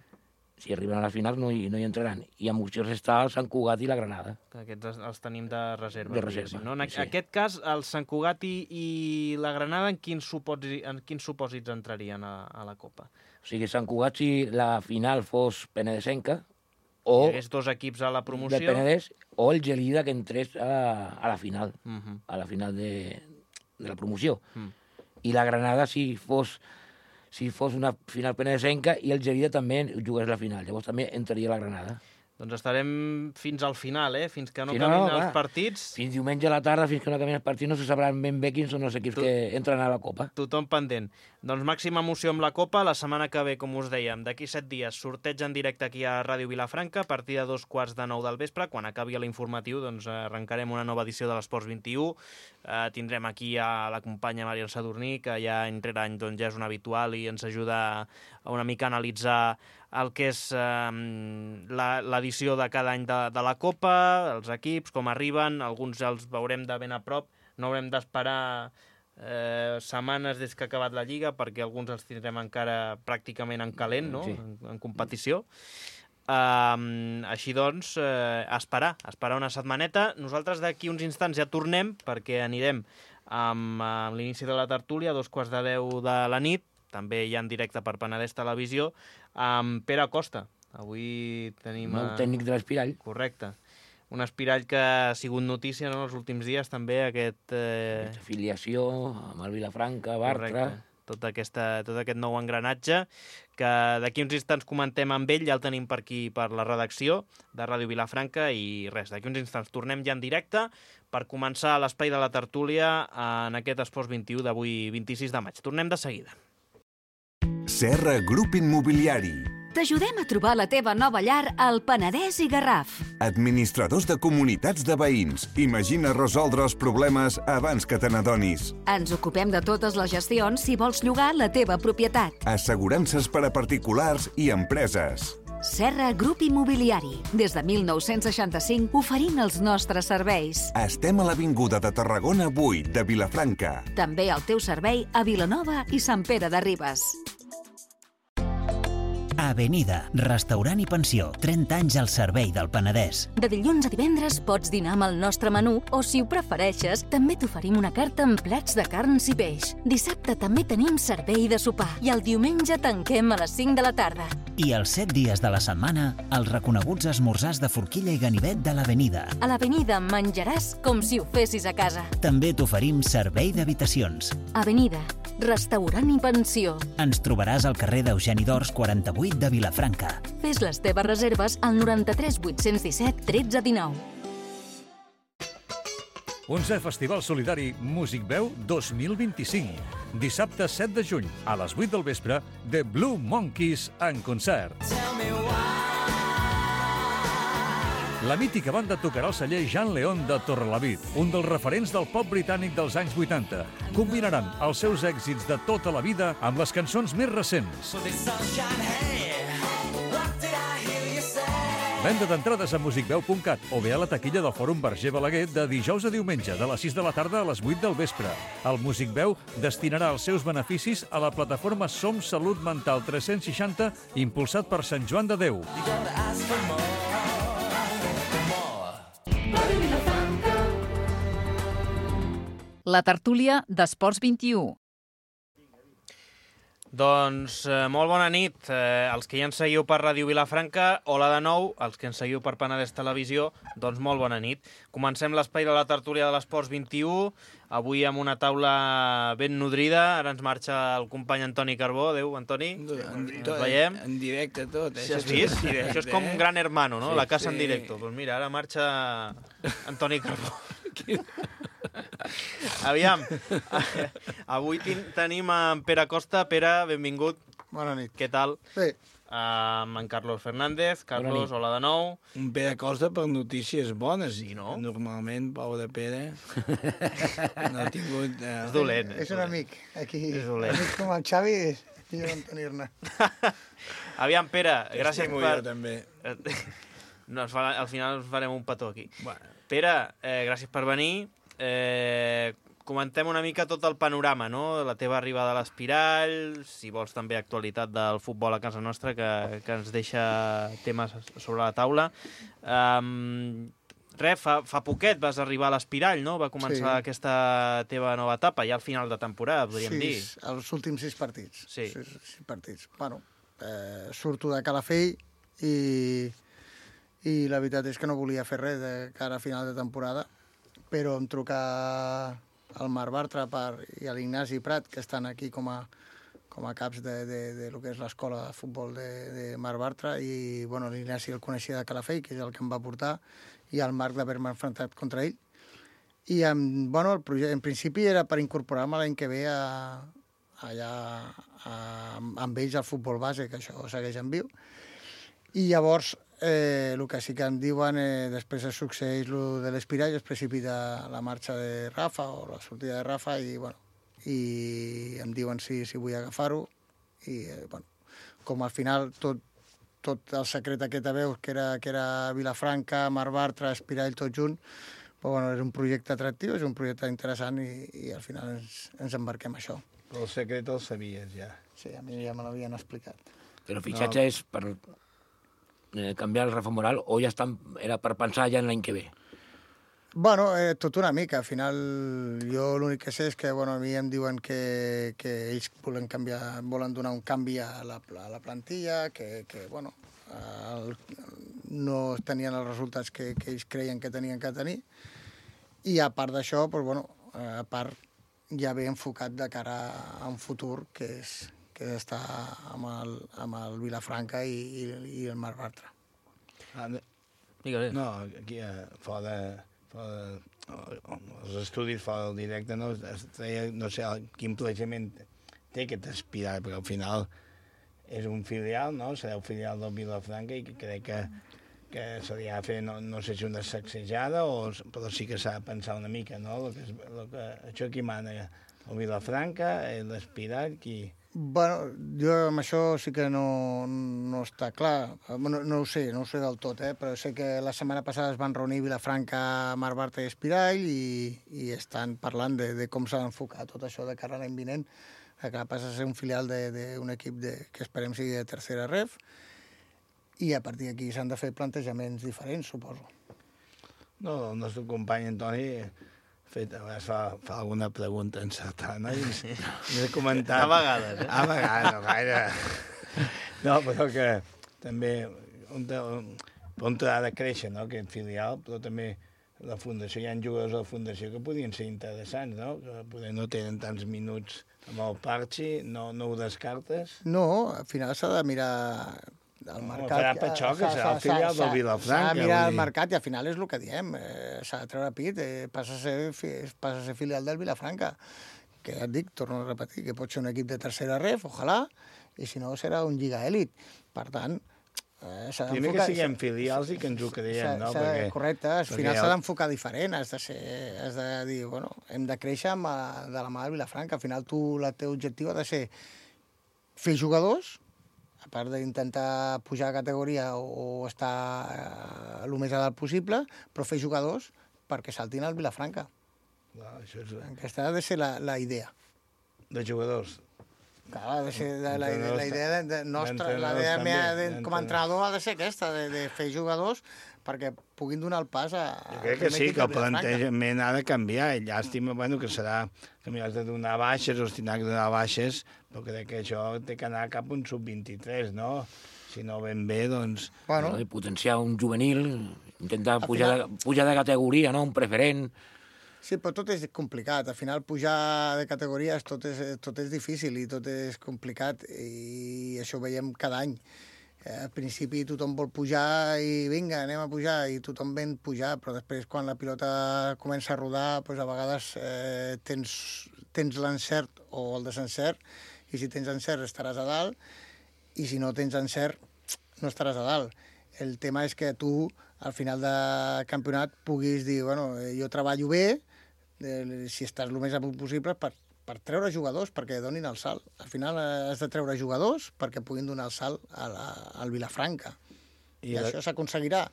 Si arriben a les finals no hi, no hi entraran. I amb opcions està el Sant Cugat i la Granada. Aquests els tenim de reserva. De reserva, no? En sí. aquest cas, el Sant Cugat i, i la Granada, en quins supòsits, en quins supòsits entrarien a, a la Copa? O sigui, Sant Cugat, si la final fos penedesenca, o... Hi hagués dos equips a la promoció. De Penedès, o el Gelida que entrés a, a la final. Uh -huh. A la final de, de la promoció. Uh -huh. I la Granada, si fos... si fos una final penedesenca i el Gelida també jugués la final. Llavors també entraria la Granada. Doncs estarem fins al final, eh? Fins que no sí, acabin no, els clar. partits. Fins diumenge a la tarda, fins que no acabin els partits, no se sabran ben bé quins són els equips tu... que entren a la Copa. Tothom pendent. Doncs màxima emoció amb la Copa. La setmana que ve, com us dèiem, d'aquí set dies, sorteig en directe aquí a Ràdio Vilafranca, a partir de dos quarts de nou del vespre. Quan acabi l'informatiu, doncs arrencarem una nova edició de l'Esports vint-i-u. Eh, tindrem aquí a la companya Mariel Sadurní, que ja any rere any doncs, ja és un habitual i ens ajuda a una mica a analitzar el que és eh, l'edició de cada any de, de la Copa, els equips, com arriben, alguns ja els veurem de ben a prop, no haurem d'esperar eh, setmanes des que ha acabat la Lliga, perquè alguns els tindrem encara pràcticament en calent, no? Sí. en, en competició. Uh, així doncs, uh, a esperar, a esperar una setmaneta. Nosaltres d'aquí uns instants ja tornem, perquè anirem amb, amb l'inici de la tertúlia, a dos quarts de deu de la nit, també ja en directe per Penedès Televisió, amb Pere Costa. Avui tenim... El tècnic de l'Espirall. Correcte. Un Espirall que ha sigut notícia, no?, els últims dies, també, aquest... Eh... Afiliació amb el Vilafranca, Bartra... Correcte. Tot, aquesta, tot aquest nou engranatge, que d'aquí uns instants comentem amb ell, ja el tenim per aquí, per la redacció de Ràdio Vilafranca, i res, d'aquí uns instants tornem ja en directe per començar l'espai de la tertúlia en aquest Esports vint-i-u d'avui, vint-i-sis de maig. Tornem de seguida. Serra Grup Immobiliari. T'ajudem a trobar la teva nova llar al Penedès i Garraf. Administradors de comunitats de veïns. Imagina resoldre els problemes abans que te n'adonis. Ens ocupem de totes les gestions si vols llogar la teva propietat. Assegurances per a particulars i empreses. Serra Grup Immobiliari. Des de mil nou-cents seixanta-cinc oferint els nostres serveis. Estem a l'Avinguda de Tarragona vuit de Vilafranca. També al teu servei a Vilanova i Sant Pere de Ribes. Avenida, restaurant i pensió, trenta anys al servei del Penedès. De dilluns a divendres pots dinar amb el nostre menú o, si ho prefereixes, també t'oferim una carta amb plats de carns i peix. Dissabte també tenim servei de sopar i el diumenge tanquem a les cinc de la tarda. I els set dies de la setmana, els reconeguts esmorzars de forquilla i ganivet de l'Avenida. A l'Avenida menjaràs com si ho fessis a casa. També t'oferim servei d'habitacions. Avenida, restaurant i pensió. Ens trobaràs al carrer d'Eugeni d'Ors quaranta-vuit de Vilafranca. Fes les teves reserves al noranta-tres vuit-cents disset tretze dinou. onzè Festival Solidari Músic Veu dos mil vint-i-cinc. Dissabte set de juny, a les vuit del vespre, The Blue Monkeys en concert. La mítica banda tocarà al celler Jean Leon de Torrelavit, un dels referents del pop britànic dels anys vuitanta. Combinaran els seus èxits de tota la vida amb les cançons més recents. Venda d'entrades a musicveu punt cat o bé a la taquilla del Fòrum Verger Balaguer de dijous a diumenge, de les sis de la tarda a les vuit del vespre. El Music Veu destinarà els seus beneficis a la plataforma Som Salut Mental tres-cents seixanta, impulsat per Sant Joan de Déu. La tertúlia d'Esports vint-i-u. Doncs eh, molt bona nit. Eh, els que ja ens seguiu per Ràdio Vilafranca, hola de nou. Els que ens seguiu per Penedès Televisió, doncs molt bona nit. Comencem l'espai de la tertúlia de l'Esports vint-i-u, avui amb una taula ben nodrida. Ara ens marxa el company Antoni Carbó. Adéu, Antoni. Ens veiem. En directe tot. Eh? Has vist? Això és com un gran hermano, no? La casa en directo. Doncs mira, ara marxa Antoni Carbó. Aviam, avui tenim en Pere Costa. Pere, benvingut. Bona nit. Què tal? Bé. Amb en Carlos Fernández. Carlos, hola de nou. Un Pere Costa per notícies bones. Sí, no? Normalment, pobre Pere, no ha tingut... Eh... És dolent. És un amic. Aquí, és dolent. amics com el Xavi, i jo tenir-ne. Aviam, Pere, gràcies per... Jo, també. No, al final ens farem un petó aquí. Bueno. Pere, eh, gràcies per venir. Eh, comentem una mica tot el panorama, no? La teva arribada a l'Espirall, si vols també actualitat del futbol a casa nostra, que, que ens deixa temes sobre la taula. Um, res, fa, fa poquet vas arribar a l'Espirall, no? Va començar sí. aquesta teva nova etapa, ja al final de temporada, podríem sis, dir. Sí, els últims sis partits. Sí. Sis, sis partits. Bueno, eh, surto de Calafell i, i la veritat és que no volia fer res de cara a final de temporada, però em truca el Marc Bartra per, i l'Ignasi Prat, que estan aquí com a, com a caps de, de, de lo que és l'escola de futbol de, de Marc Bartra, i bueno, l'Ignasi el coneixia de Calafell, que és el que em va portar, i el Marc d'haver-me enfrontat contra ell. I en, bueno, el projecte, en principi era per incorporar-me l'any que ve a, allà a, amb ells al futbol base, que això segueix en viu. I llavors, eh, el que sí que em diuen, eh, després es succeeix el de l'Espirall, es precipita la marxa de Rafa o la sortida de Rafa, i, bueno, i em diuen si, si vull agafar-ho. I, eh, bueno, com al final tot, tot el secret aquest a veus, que era, que era Vilafranca, Marc Bartra, Espirall, tot junt, però, bueno, és un projecte atractiu, és un projecte interessant, i, i al final ens, ens embarquem a això. Però el secret el sabies, ja. Sí, a mi ja me l'havien explicat. Però el fitxatge no. és per... canviar el Rafa Moral, o ja estan, era per pensar ja en l'any que ve? Bueno, eh, tot una mica. Al final, jo l'únic que sé és que, bueno, a mi em diuen que, que ells volen canviar, volen donar un canvi a la, a la plantilla, que, que bueno, el, no tenien els resultats que, que ells creien que tenien que tenir. I a part d'això, doncs, bueno, a part ja ve enfocat de cara a un futur que és... que està amb el, amb el Vilafranca i, i, i el Marc Bartra. Ah, no, aquí fora, fora els estudis fora del directe, no, es treia, no sé quin planejament té aquest Espirall, perquè al final és un filial, no? Serà el filial del Vilafranca, i crec que, que se li ha de fer, no, no sé si una sacsejada, o, però sí que s'ha de pensar una mica, no? Lo que és, lo que, això qui mana, el Vilafranca, l'Espirall, qui... Bueno, jo amb això sí que no, no està clar. No, no ho sé, no ho sé del tot, eh? Però sé que la setmana passada es van reunir Vilafranca, Marc Bartra i Espirall, i, i estan parlant de, de com s'ha d'enfocar tot això de cara a l'any vinent, que passa a ser un filial d'un equip de, que esperem sigui de tercera ref, i a partir d'aquí s'han de fer plantejaments diferents, suposo. No, el nostre company Antoni... Fet, fa, fa alguna pregunta encertada, no? I ens, ens ha comentat... A vegades, eh? A vegades, no gaire. No, però que també on, on ha de créixer, no?, aquest filial, però també la fundació, hi ha jugadors a la fundació que podrien ser interessants, no?, que poder no tenen tants minuts amb el Parchi, no, no ho descartes? No, al final s'ha de mirar... el mercat... No, farà per això, que serà el filial del Vilafranca. S'ha de mirar el mercat, i al final és el que diem, eh, s'ha de treure pit, eh, passa, a ser, passa a ser filial del Vilafranca, que ja et dic, torno a repetir, que pot ser un equip de tercera ref, ojalà, i si no serà un lliga èlit. Per tant, eh, s'ha d'enfocar... Primer que siguem filials i que ens ho creiem, no? Perquè, correcte, al final s'ha d'enfocar diferent, has de, ser, has de dir, bueno, hem de créixer amb, de la mà del Vilafranca, al final tu, el teu objectiu ha de ser fer jugadors, a part d'intentar pujar a categoria o estar eh, el més a dalt possible, però fer jugadors perquè saltin al Vilafranca. No, això és... Aquesta ha de ser la, la idea. De jugadors? Clar, ha de ser la, la, la idea de, de nostra, la idea mea de, com a entrenador ha de ser aquesta, de, de fer jugadors perquè puguin donar el pas a... Jo crec que sí, que el plantejament ha de canviar, i llàstima, bueno, que serà que m'hi has de donar baixes, o tindrà que donar baixes, però crec que això té que anar cap a un sub vint-i-tres, no? Si no ben bé, doncs... Bueno. I potenciar un juvenil, intentar pujar, final... de, pujar de categoria, no? Un preferent... Sí, però tot és complicat. Al final, pujar de categories tot és, tot és difícil i tot és complicat, i això ho veiem cada any. Al principi tothom vol pujar i vinga, anem a pujar, i tothom ven pujar, però després quan la pilota comença a rodar, doncs a vegades eh, tens, tens l'encert o el desencert, i si tens encert estaràs a dalt, i si no tens encert no estaràs a dalt. El tema és que tu, al final de campionat, puguis dir, bueno, jo treballo bé, eh, si estàs el més a punt possible, per, per treure jugadors, perquè donin el salt. Al final has de treure jugadors perquè puguin donar el salt a la, al Vilafranca. I, I això s'aconseguirà.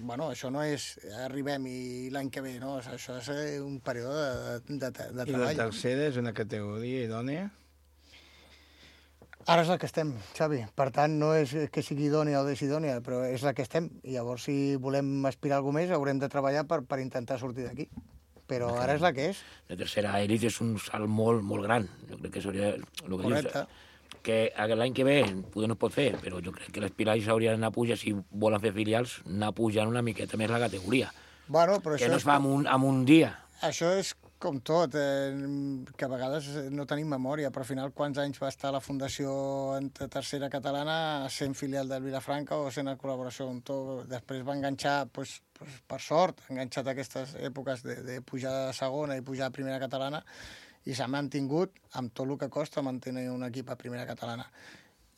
Bueno, això no és arribem i l'any que ve, no? Això és un període de, de, de, de treball. I la tercera és una categoria idònea? Ara és la que estem, Xavi. Per tant, no és que sigui idònia o desidònia, però és la que estem. I llavors, si volem aspirar a alguna més, haurem de treballar per, per intentar sortir d'aquí. Però ara és la que és. La tercera elit és un salt molt, molt gran. Jo crec que s'hauria... Correcte. Que l'any que ve poder no es pot fer, però jo crec que les Pilars haurien d'anar a pujar, si volen fer filials, anar pujant una miqueta més la categoria. Bueno, però que això no es fa en un, en un dia. Això és com tot, eh, que a vegades no tenim memòria, però al final quants anys va estar la Fundació en Tercera Catalana sent filial del Vilafranca o sent en col·laboració amb tot. Després va enganxar, pues, pues, per sort, ha enganxat aquestes èpoques de, de pujar a segona i pujar a Primera Catalana, i s'ha mantingut amb tot el que costa mantenir un equip a Primera Catalana.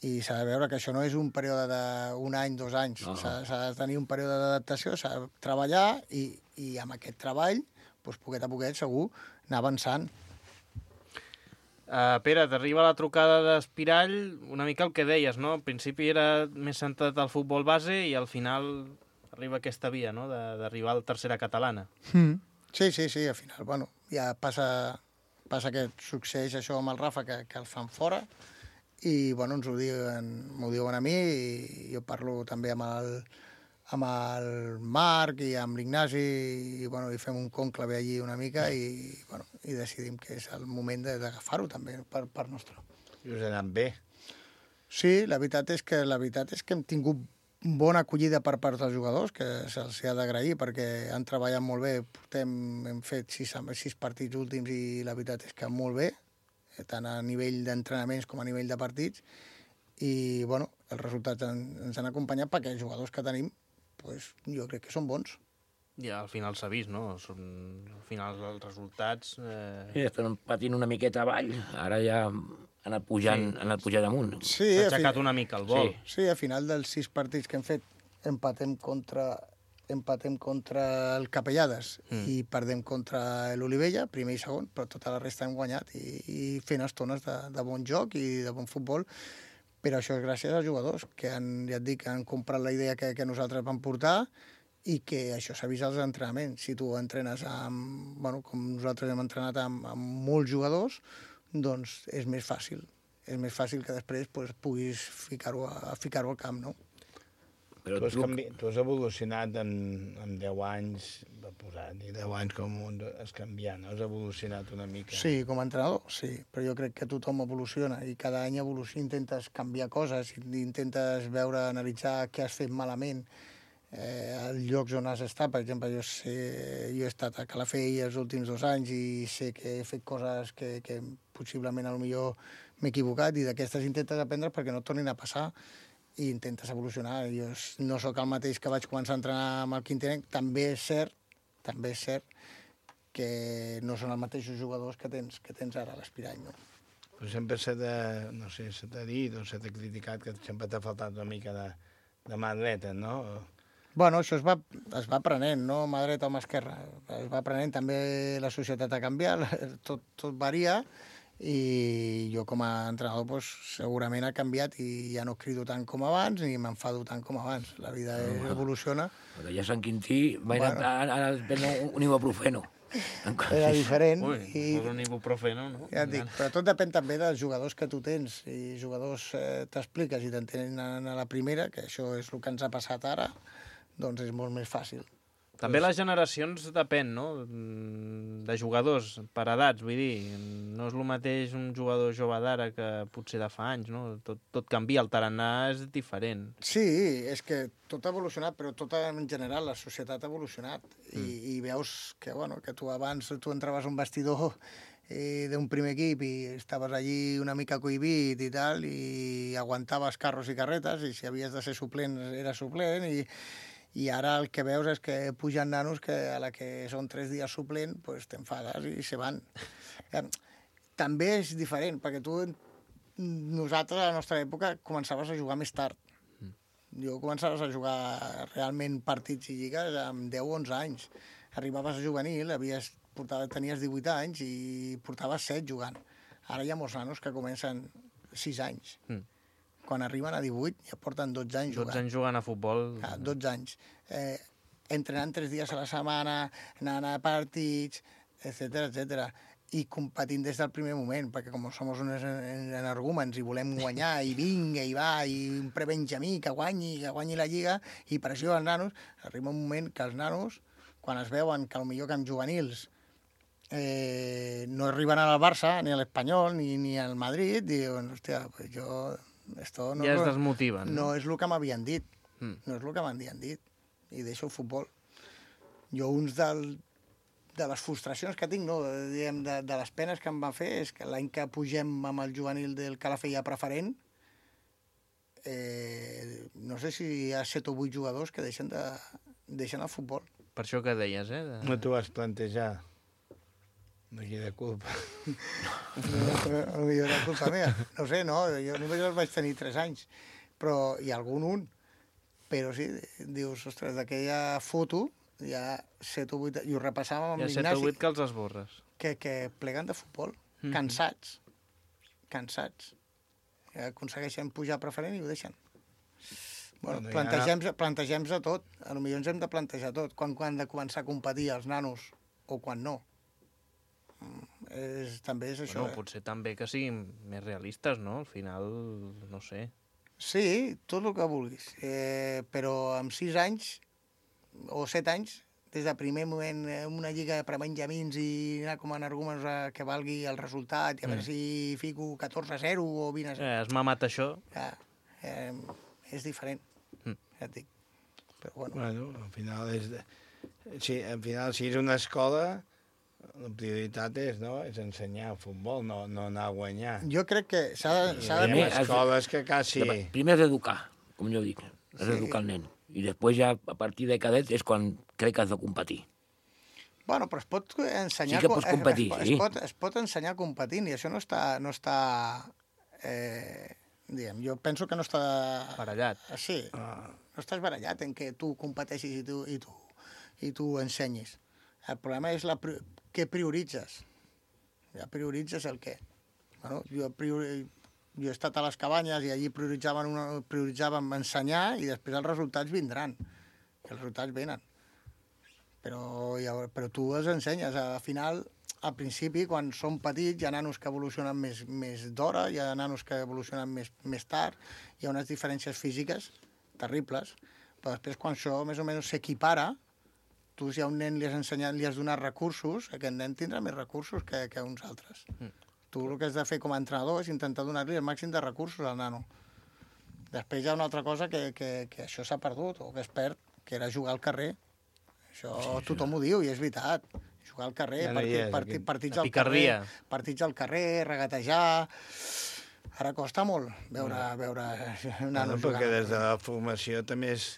I s'ha de veure que això no és un període d'un any, dos anys. No. S'ha de tenir un període d'adaptació, s'ha de treballar i, i amb aquest treball, doncs, poquet a poquet, segur, anar avançant. Uh, Pere, t'arriba la trucada d'Espirall, una mica el que deies, no? Al principi era més centrat al futbol base i al final arriba aquesta via, no?, d'arribar a la Tercera Catalana. Mm. Sí, sí, sí, al final, bueno, ja passa... Passa que succeeix això amb el Rafa, que, que el fan fora, i bueno, ens ho diuen, m'ho diuen a mi, i jo parlo també amb el, amb el Marc i amb l'Ignasi, i, bueno, i fem un conclave allí una mica, i, bueno, i decidim que és el moment d'agafar-ho també per, per nostre. I us ha anat bé. Sí, la veritat és que la veritat és que hem tingut bona acollida per part dels jugadors, que se'ls ha d'agrair perquè han treballat molt bé. Portem, hem fet sis, sis partits últims i la veritat és que molt bé, tant a nivell d'entrenaments com a nivell de partits. I bueno, els resultats en, ens han acompanyat perquè els jugadors que tenim, pues, jo crec que són bons. Ja al final s'ha vist, no? Són, al final els resultats... Eh... Sí, estan patint una miqueta avall. Ara ja... ha anat pujant, sí. ha anat pujant amunt. Sí, s'ha aixecat una mica el vol. Sí. sí, a final dels sis partits que hem fet empatem contra, empatem contra el Capellades mm. i perdem contra l'Olivella, primer i segon, però tota la resta hem guanyat i, i fent estones de, de bon joc i de bon futbol. Però això és gràcies als jugadors, que han, ja et dic, han comprat la idea que, que nosaltres vam portar i que això s'ha vist als entrenaments. Si tu entrenes amb, bueno, com nosaltres hem entrenat amb, amb molts jugadors, doncs és més fàcil. És més fàcil que després pues, puguis ficar-ho a, ficar-ho al camp, no? Però tu, has canvi... tu has evolucionat en, en deu anys, va posar, ni deu anys com un has canviat, no? Has evolucionat una mica. Sí, com a entrenador, sí, però jo crec que tothom evoluciona i cada any evoluciona, intentes canviar coses, intentes veure, analitzar què has fet malament, eh, els llocs on has estat. Per exemple, jo, sé, jo he estat a Calafell els últims dos anys i sé que he fet coses que, que possiblement potser m'he equivocat, i d'aquestes intentes aprendre perquè no tornin a passar i intentes evolucionar. Jo no sóc el mateix que vaig començar a entrenar amb el Quintinenc. També és cert, també és cert que no són els mateixos jugadors que tens, que tens ara a l'Espirall, no? Però sempre s'ha de, no sé, s'ha de dir o s'ha de criticat que sempre t'ha faltat una mica de, de mà dreta, no? Bueno, això es va, es va aprenent, no mà dreta o mà esquerra. Es va aprenent, també la societat ha canviat, tot, tot varia, i jo com a entrenador pues, segurament ha canviat i ja no crido tant com abans ni m'enfado tant com abans. La vida no, evoluciona. Però ja Sant Quintí va bueno. anar a prendre un ibuprofeno. Era diferent. Ui, i... un ibuprofeno, no? Ja et dic, però tot depèn també dels jugadors que tu tens. I jugadors eh, t'expliques i t'entenen a la primera, que això és el que ens ha passat ara, doncs és molt més fàcil. També les generacions depèn, no?, de jugadors per edats, vull dir, no és el mateix un jugador jove d'ara que potser de fa anys, no? Tot, tot canvia, el tarannà és diferent. Sí, és que tot ha evolucionat, però tot en general, la societat ha evolucionat. I, mm. i veus que, bueno, que tu abans tu entraves a un vestidor eh, d'un primer equip i estaves allí una mica cohibit i tal, i aguantaves carros i carretes, i si havies de ser suplent, eres suplent, i I ara el que veus és que pugen nanos que a la que són tres dies suplent pues t'enfades i se van. També és diferent, perquè tu, nosaltres a la nostra època començaves a jugar més tard. Jo començaves a jugar realment partits i lligues amb deu o onze anys. Arribaves a juvenil, havies, portava, tenies divuit anys i portaves set jugant. Ara hi ha molts nanos que comencen sis anys. Mm. Quan arriben a divuit ja porten dotze anys jugant. dotze anys jugant a futbol. Ah, dotze anys. Eh, entrenant tres dies a la setmana, anant a partits, etcètera, etcètera. I competint des del primer moment, perquè com som uns energúmens i volem guanyar, i vinga, i va, i un prebenjamí que guanyi, que guanyi la lliga, i pressió als nanos, arriba un moment que els nanos, quan es veuen que potser que amb juvenils eh, no arriben al Barça, ni a l'Espanyol, ni, ni al Madrid, diuen, hòstia, pues jo... Esto no ja es lo, desmotiven. No és el que m'havien dit. Mm. No és el que m'havien dit. I deixo el futbol. Jo, uns del, de les frustracions que tinc, no, diguem, de, de les penes que em van fer, és que l'any que pugem amb el juvenil del Calafell a preferent, eh, no sé si hi ha set o vuit jugadors que deixen, de, deixen el futbol. Per això que deies, eh? De... No t'ho vas plantejar. No hi ha culpa. No, no hi ha culpa meva. No sé, no, jo només els vaig tenir tres anys, però hi ha algun un. Però sí, dius, ostres, d'aquella foto hi ha set o vuit, i ho repassàvem amb l'Ignasi. Hi ha set o vuit que els esborres. Que, que pleguen de futbol, mm-hmm. cansats, cansats. Que aconsegueixen pujar preferent i ho deixen. Bueno, bueno plantegem-nos plantegem tot, potser ens hem de plantejar tot, quan, quan han de començar a competir els nanos o quan no. És, també és això. Bueno, eh? Potser també que siguin més realistes, no? Al final, no sé. Sí, tot el que vulguis. Eh, però amb sis anys o set anys, des del primer moment, una lliga per benjamins i anar com a energúmens que valgui el resultat, i a mm. veure si fico catorze a zero o vint a zero. Eh, has mamat això. Ja, eh, és diferent, mm. ja et dic. Però bueno. Bueno, al final és... De... Sí, al final, si és una escola... La prioritat és, no? és ensenyar futbol, no, no anar a guanyar. Jo crec que s'ha de... S'ha de... Hi ha escoles que quasi... Primer és educar, com jo dic, és sí. educar el nen. I després ja, a partir de cadet, és quan crec que has de competir. Bueno, però es pot ensenyar... Sí que pots competir, es, es, sí. Es pot, es pot ensenyar competint, i això no està... No està eh, diguem, jo penso que no està... Barallat. Sí, no estàs barallat en què tu competeixis i tu, i tu, i tu ensenyis. El problema és la... què prioritzes? Ja prioritzes el què? Bueno, jo, priori... jo he estat a les cabanyes i allí prioritzaven, una... prioritzaven ensenyar i després els resultats vindran. I els resultats venen. Però, ja... però tu els ensenyes. Al final, al principi, quan són petits, hi ha nanos que evolucionen més, més d'hora, hi ha nanos que evolucionen més, més tard, hi ha unes diferències físiques terribles, però després quan això més o menys s'equipara, tu si a un nen li has ensenyat, li has donat recursos, aquest nen tindrà més recursos que, que uns altres. Mm. Tu el que has de fer com a entrenador és intentar donar-li el màxim de recursos al nano. Després hi ha una altra cosa que, que, que això s'ha perdut, o que es perd, que era jugar al carrer. Això sí, tothom ho diu, i és veritat. Jugar al carrer, ja no partit, és, partit, partits al carrer, partits al carrer, regatejar... Ara costa molt veure, no. veure nanos no, perquè des de la formació també és...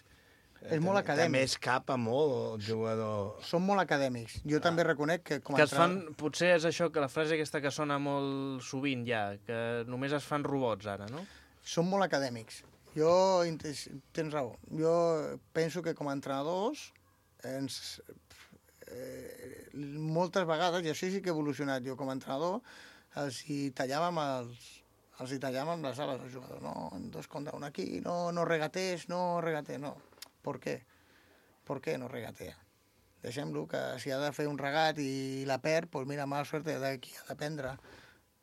És molt acadèmic. També es capa molt el jugador. Són molt acadèmics. Jo ah. també reconec que... Com que es fan, potser és això, que la frase aquesta que sona molt sovint ja, que només es fan robots ara, no? Són molt acadèmics. Jo, tens raó, jo penso que com a entrenadors, ens, eh, moltes vegades, i això sí que he evolucionat jo com a entrenador, els hi tallàvem els, els hi tallàvem les ales al jugador. No, dos contra un aquí, no, no regatés, no regatés, no. ¿Por qué? ¿Por qué no regatea? Deixem-lo, que si ha de fer un regat i la perd, doncs mira, mala sort, d'aquí ha d'aprendre.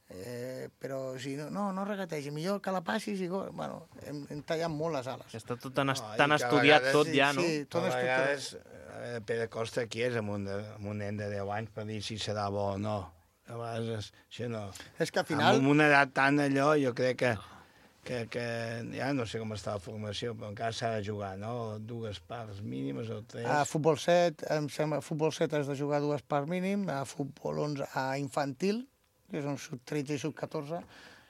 Eh, però si no, no, no regategi, millor que la passis i... Bueno, hem, hem tallat molt les ales. Està tot tan, no, tan estudiat tot ja, no? Sí, tot a vegades, estudiat. Pere Costa aquí és amb un, de, amb un nen de deu anys per dir si serà bo o no. A vegades, això no. És que al final... Amb una edat tan allò, jo crec que, que, que ja no sé com està la formació, però encara s'ha de jugar, no? Dues parts mínimes o tres. A futbol set, em sembla, a futbol set has de jugar dues parts mínim, a futbol onze, a infantil, que és un sub tretze i sub catorze,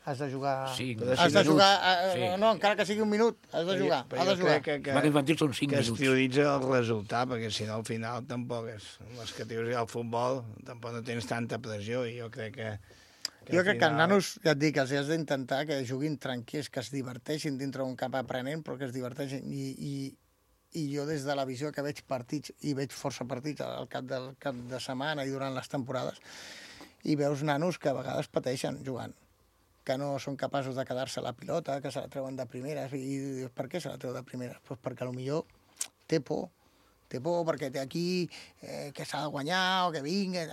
has de jugar... Sí, has de jugar... A, sí. No, encara que sigui un minut, has de jugar. Però has de jo jugar. crec que, que, que infantil són cinc que minuts. es prioritza el resultat, perquè si no al final tampoc és... Les que dius al futbol tampoc no tens tanta pressió i jo crec que... que jo crec final... que els nanos, ja et dic, els has d'intentar que juguin tranquils, que es diverteixin dintre d'un camp aprenent, però que es diverteixin. I, i, i jo des de la visió que veig partits, i veig força partits al cap del cap de setmana i durant les temporades, i veus nanos que a vegades pateixen jugant, que no són capaços de quedar-se la pilota, que se la treuen de primeres. I dius, per què se la treu de primeres? Pues perquè potser té por, té por perquè té aquí eh, que s'ha de guanyar o que vinga,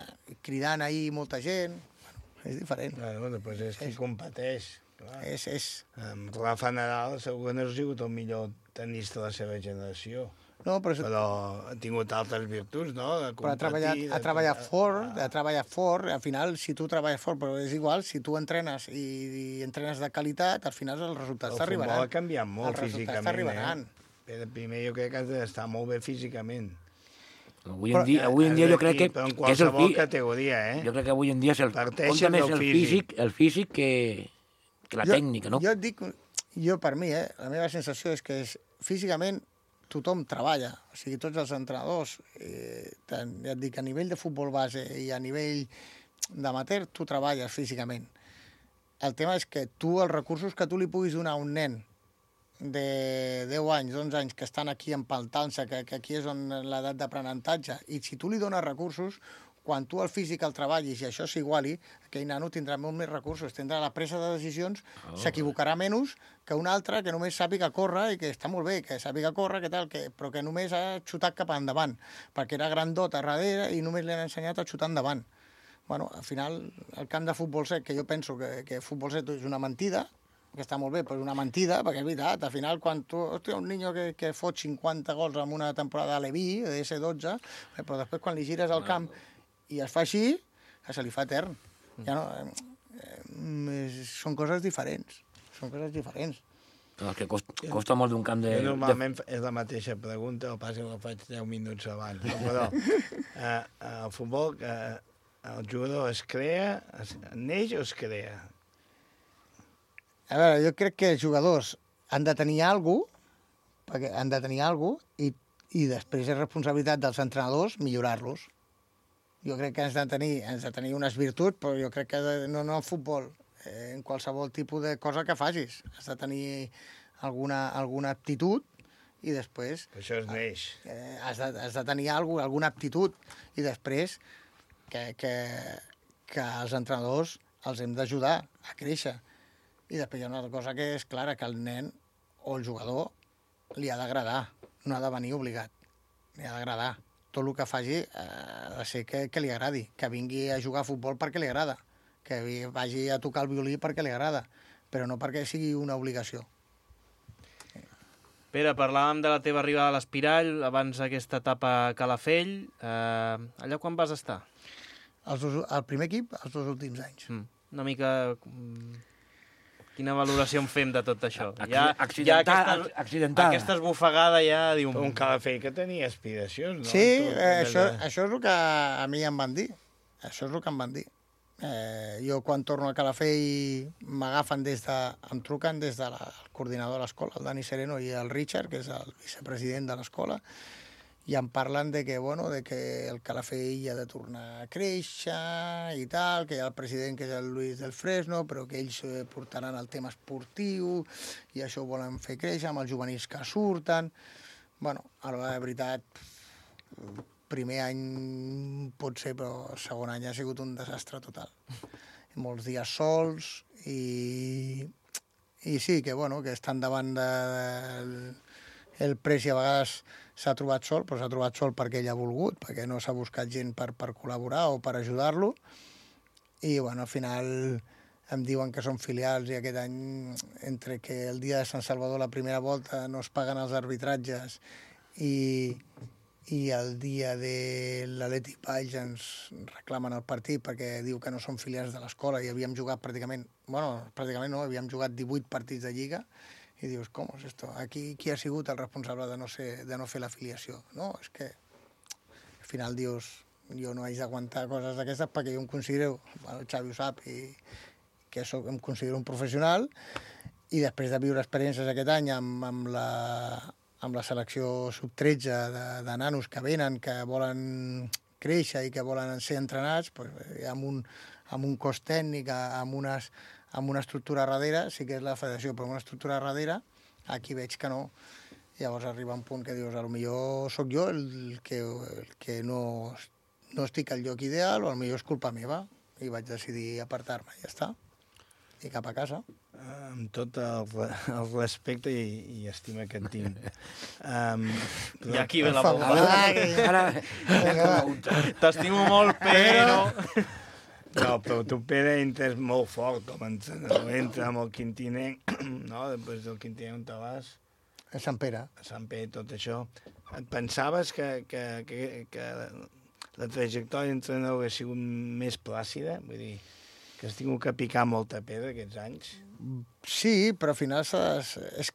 cridant ahir molta gent. Bueno, és diferent. Bueno, després és qui és, competeix. Clar. És, és... Amb Rafa Nadal segur que no ha sigut el millor tenista de la seva generació. No, però... però ha tingut altres virtuts, no? De competir, però ha treballat, ha treballat de... fort, ha treballat fort, al final, si tu treballes fort, però és igual, si tu entrenes i, i entrenes de qualitat, al final els resultats t'arribaran. El futbol ha canviat molt físicament, eh? Però primer jo crec que has d'estar molt bé físicament. Avui en dia, avui en dia jo crec que, però en que és el qualsevol categoria, eh? Jo crec que avui en dia és el, compta més el físic, el físic que, que la jo, tècnica, no? Jo et dic, jo per mi, eh, la meva sensació és que és, físicament tothom treballa, o sigui, tots els entrenadors, eh, tant, ja et dic, a nivell de futbol base i a nivell d'amateur, tu treballes físicament. El tema és que tu, els recursos que tu li puguis donar a un nen de deu anys, onze anys, que estan aquí empaltant-se, que, que aquí és on l'edat d'aprenentatge, i si tu li dones recursos, quan tu el físic el treballis i això s'iguali, aquell nano tindrà molt més recursos, tindrà la presa de decisions, oh, s'equivocarà menys que un altre que només sàpiga córrer i que està molt bé, que sàpiga córrer, que tal, que, però que només ha xutat cap endavant, perquè era grandot a darrere i només li han ensenyat a xutar endavant. Bueno, al final, el camp de futbol set, que jo penso que, que futbol set és una mentida, que està molt bé, però és una mentida, perquè és veritat, al final, quan tu, hòstia, un niño que, que fot cinquanta gols en una temporada a l'E V I, de esse dotze, però després quan li gires al camp i es fa així, se li fa etern. Ja no, eh, són coses diferents. Són coses diferents. Però que costa, costa molt d'un camp de... Jo normalment de... és la mateixa pregunta, el pas que la faig deu minuts abans. No? Però eh, el futbol, eh, el jugador es crea, es, neix o es crea? A veure, jo crec que els jugadors han de tenir alguna cosa, perquè han de tenir alguna cosa, i, i després és responsabilitat dels entrenadors millorar-los. Jo crec que has de tenir, has de tenir unes virtuts, però jo crec que de, no, no en futbol, eh, en qualsevol tipus de cosa que facis. Has de tenir alguna, alguna aptitud i després... Per això es neix. Eh, has, de, has de tenir alguna, alguna aptitud i després que, que, que els entrenadors els hem d'ajudar a créixer. I després hi ha una altra cosa que és clara, que el nen o el jugador li ha d'agradar, no ha de venir obligat, li ha d'agradar. Tot el que faci eh, ha de ser que, que li agradi, que vingui a jugar a futbol perquè li agrada, que vagi a tocar el violí perquè li agrada, però no perquè sigui una obligació. Pere, parlàvem de la teva arribada a l'Espirall, abans aquesta etapa a Calafell. Eh, allà quan vas estar? Els dos, el primer equip, els dos últims anys. Mm. Una mica... Quina valoració en fem de tot això? Ja, accidental, ja aquesta, accidental. Aquesta esbufegada ja diu... Un Calafell que tenia aspiracions, no? Sí, eh, això, això és el que a mi em van dir. Això és el que em van dir. Eh, jo quan torno a Calafell m'agafen des de... em truquen des del de coordinador de l'escola, el Dani Sereno, i el Richard, que és el vicepresident de l'escola, i em parlen de que, bueno, de que el Calafell ha de tornar a créixer i tal, que hi ha el president que és el Luis del Fresno, però que ells portaran el tema esportiu i això ho volen fer créixer amb els juvenils que surten. Bueno, a la veritat, primer any pot ser, però el segon any ha sigut un desastre total. Molts dies sols i, i sí, que, bueno, que estan davant de, de, el Presi a vegades s'ha trobat sol, però s'ha trobat sol perquè ell ha volgut, perquè no s'ha buscat gent per, per col·laborar o per ajudar-lo. I, bueno, al final em diuen que són filials i aquest any, entre que el dia de Sant Salvador, la primera volta, no es paguen els arbitratges i, i el dia de l'Atlètic Valls ens reclamen el partit perquè diu que no són filials de l'escola i havíem jugat pràcticament, bueno, pràcticament no, havíem jugat divuit partits de Lliga i dius, com és esto? Aquí qui ha sigut el responsable de no, ser, de no fer l'afiliació? No, és que al final dius, jo no haig d'aguantar coses d'aquestes perquè jo em considero, bueno, el Xavi ho sap, i que soc, em considero un professional i després de viure experiències aquest any amb, amb, la, amb la selecció sub tretze de, de nanos que venen, que volen créixer i que volen ser entrenats, pues, amb, un, amb un cos tècnic, amb unes amb una estructura darrere, sí que és la federació, però amb una estructura darrere, aquí veig que no. Llavors arriba un punt que dius, potser sóc jo el que, el que no, no estic al lloc ideal, o potser és culpa meva, i vaig decidir apartar-me, i ja està. I cap a casa. Amb tot el, el respecte i, i estima que et tinc. Um, I aquí ve la bomba. T'estimo molt, però... No, però tu, Pere, entres molt fort com a entrenador. Entra amb el Quintiner, no? Després del Quintiner on te vas? A Sant Pere. A Sant Pere, tot això. Et pensaves que, que, que, que la trajectòria d'entrenador hagués sigut més plàcida? Vull dir, que has tingut que picar molta pedra aquests anys? Sí, però al final, has, és,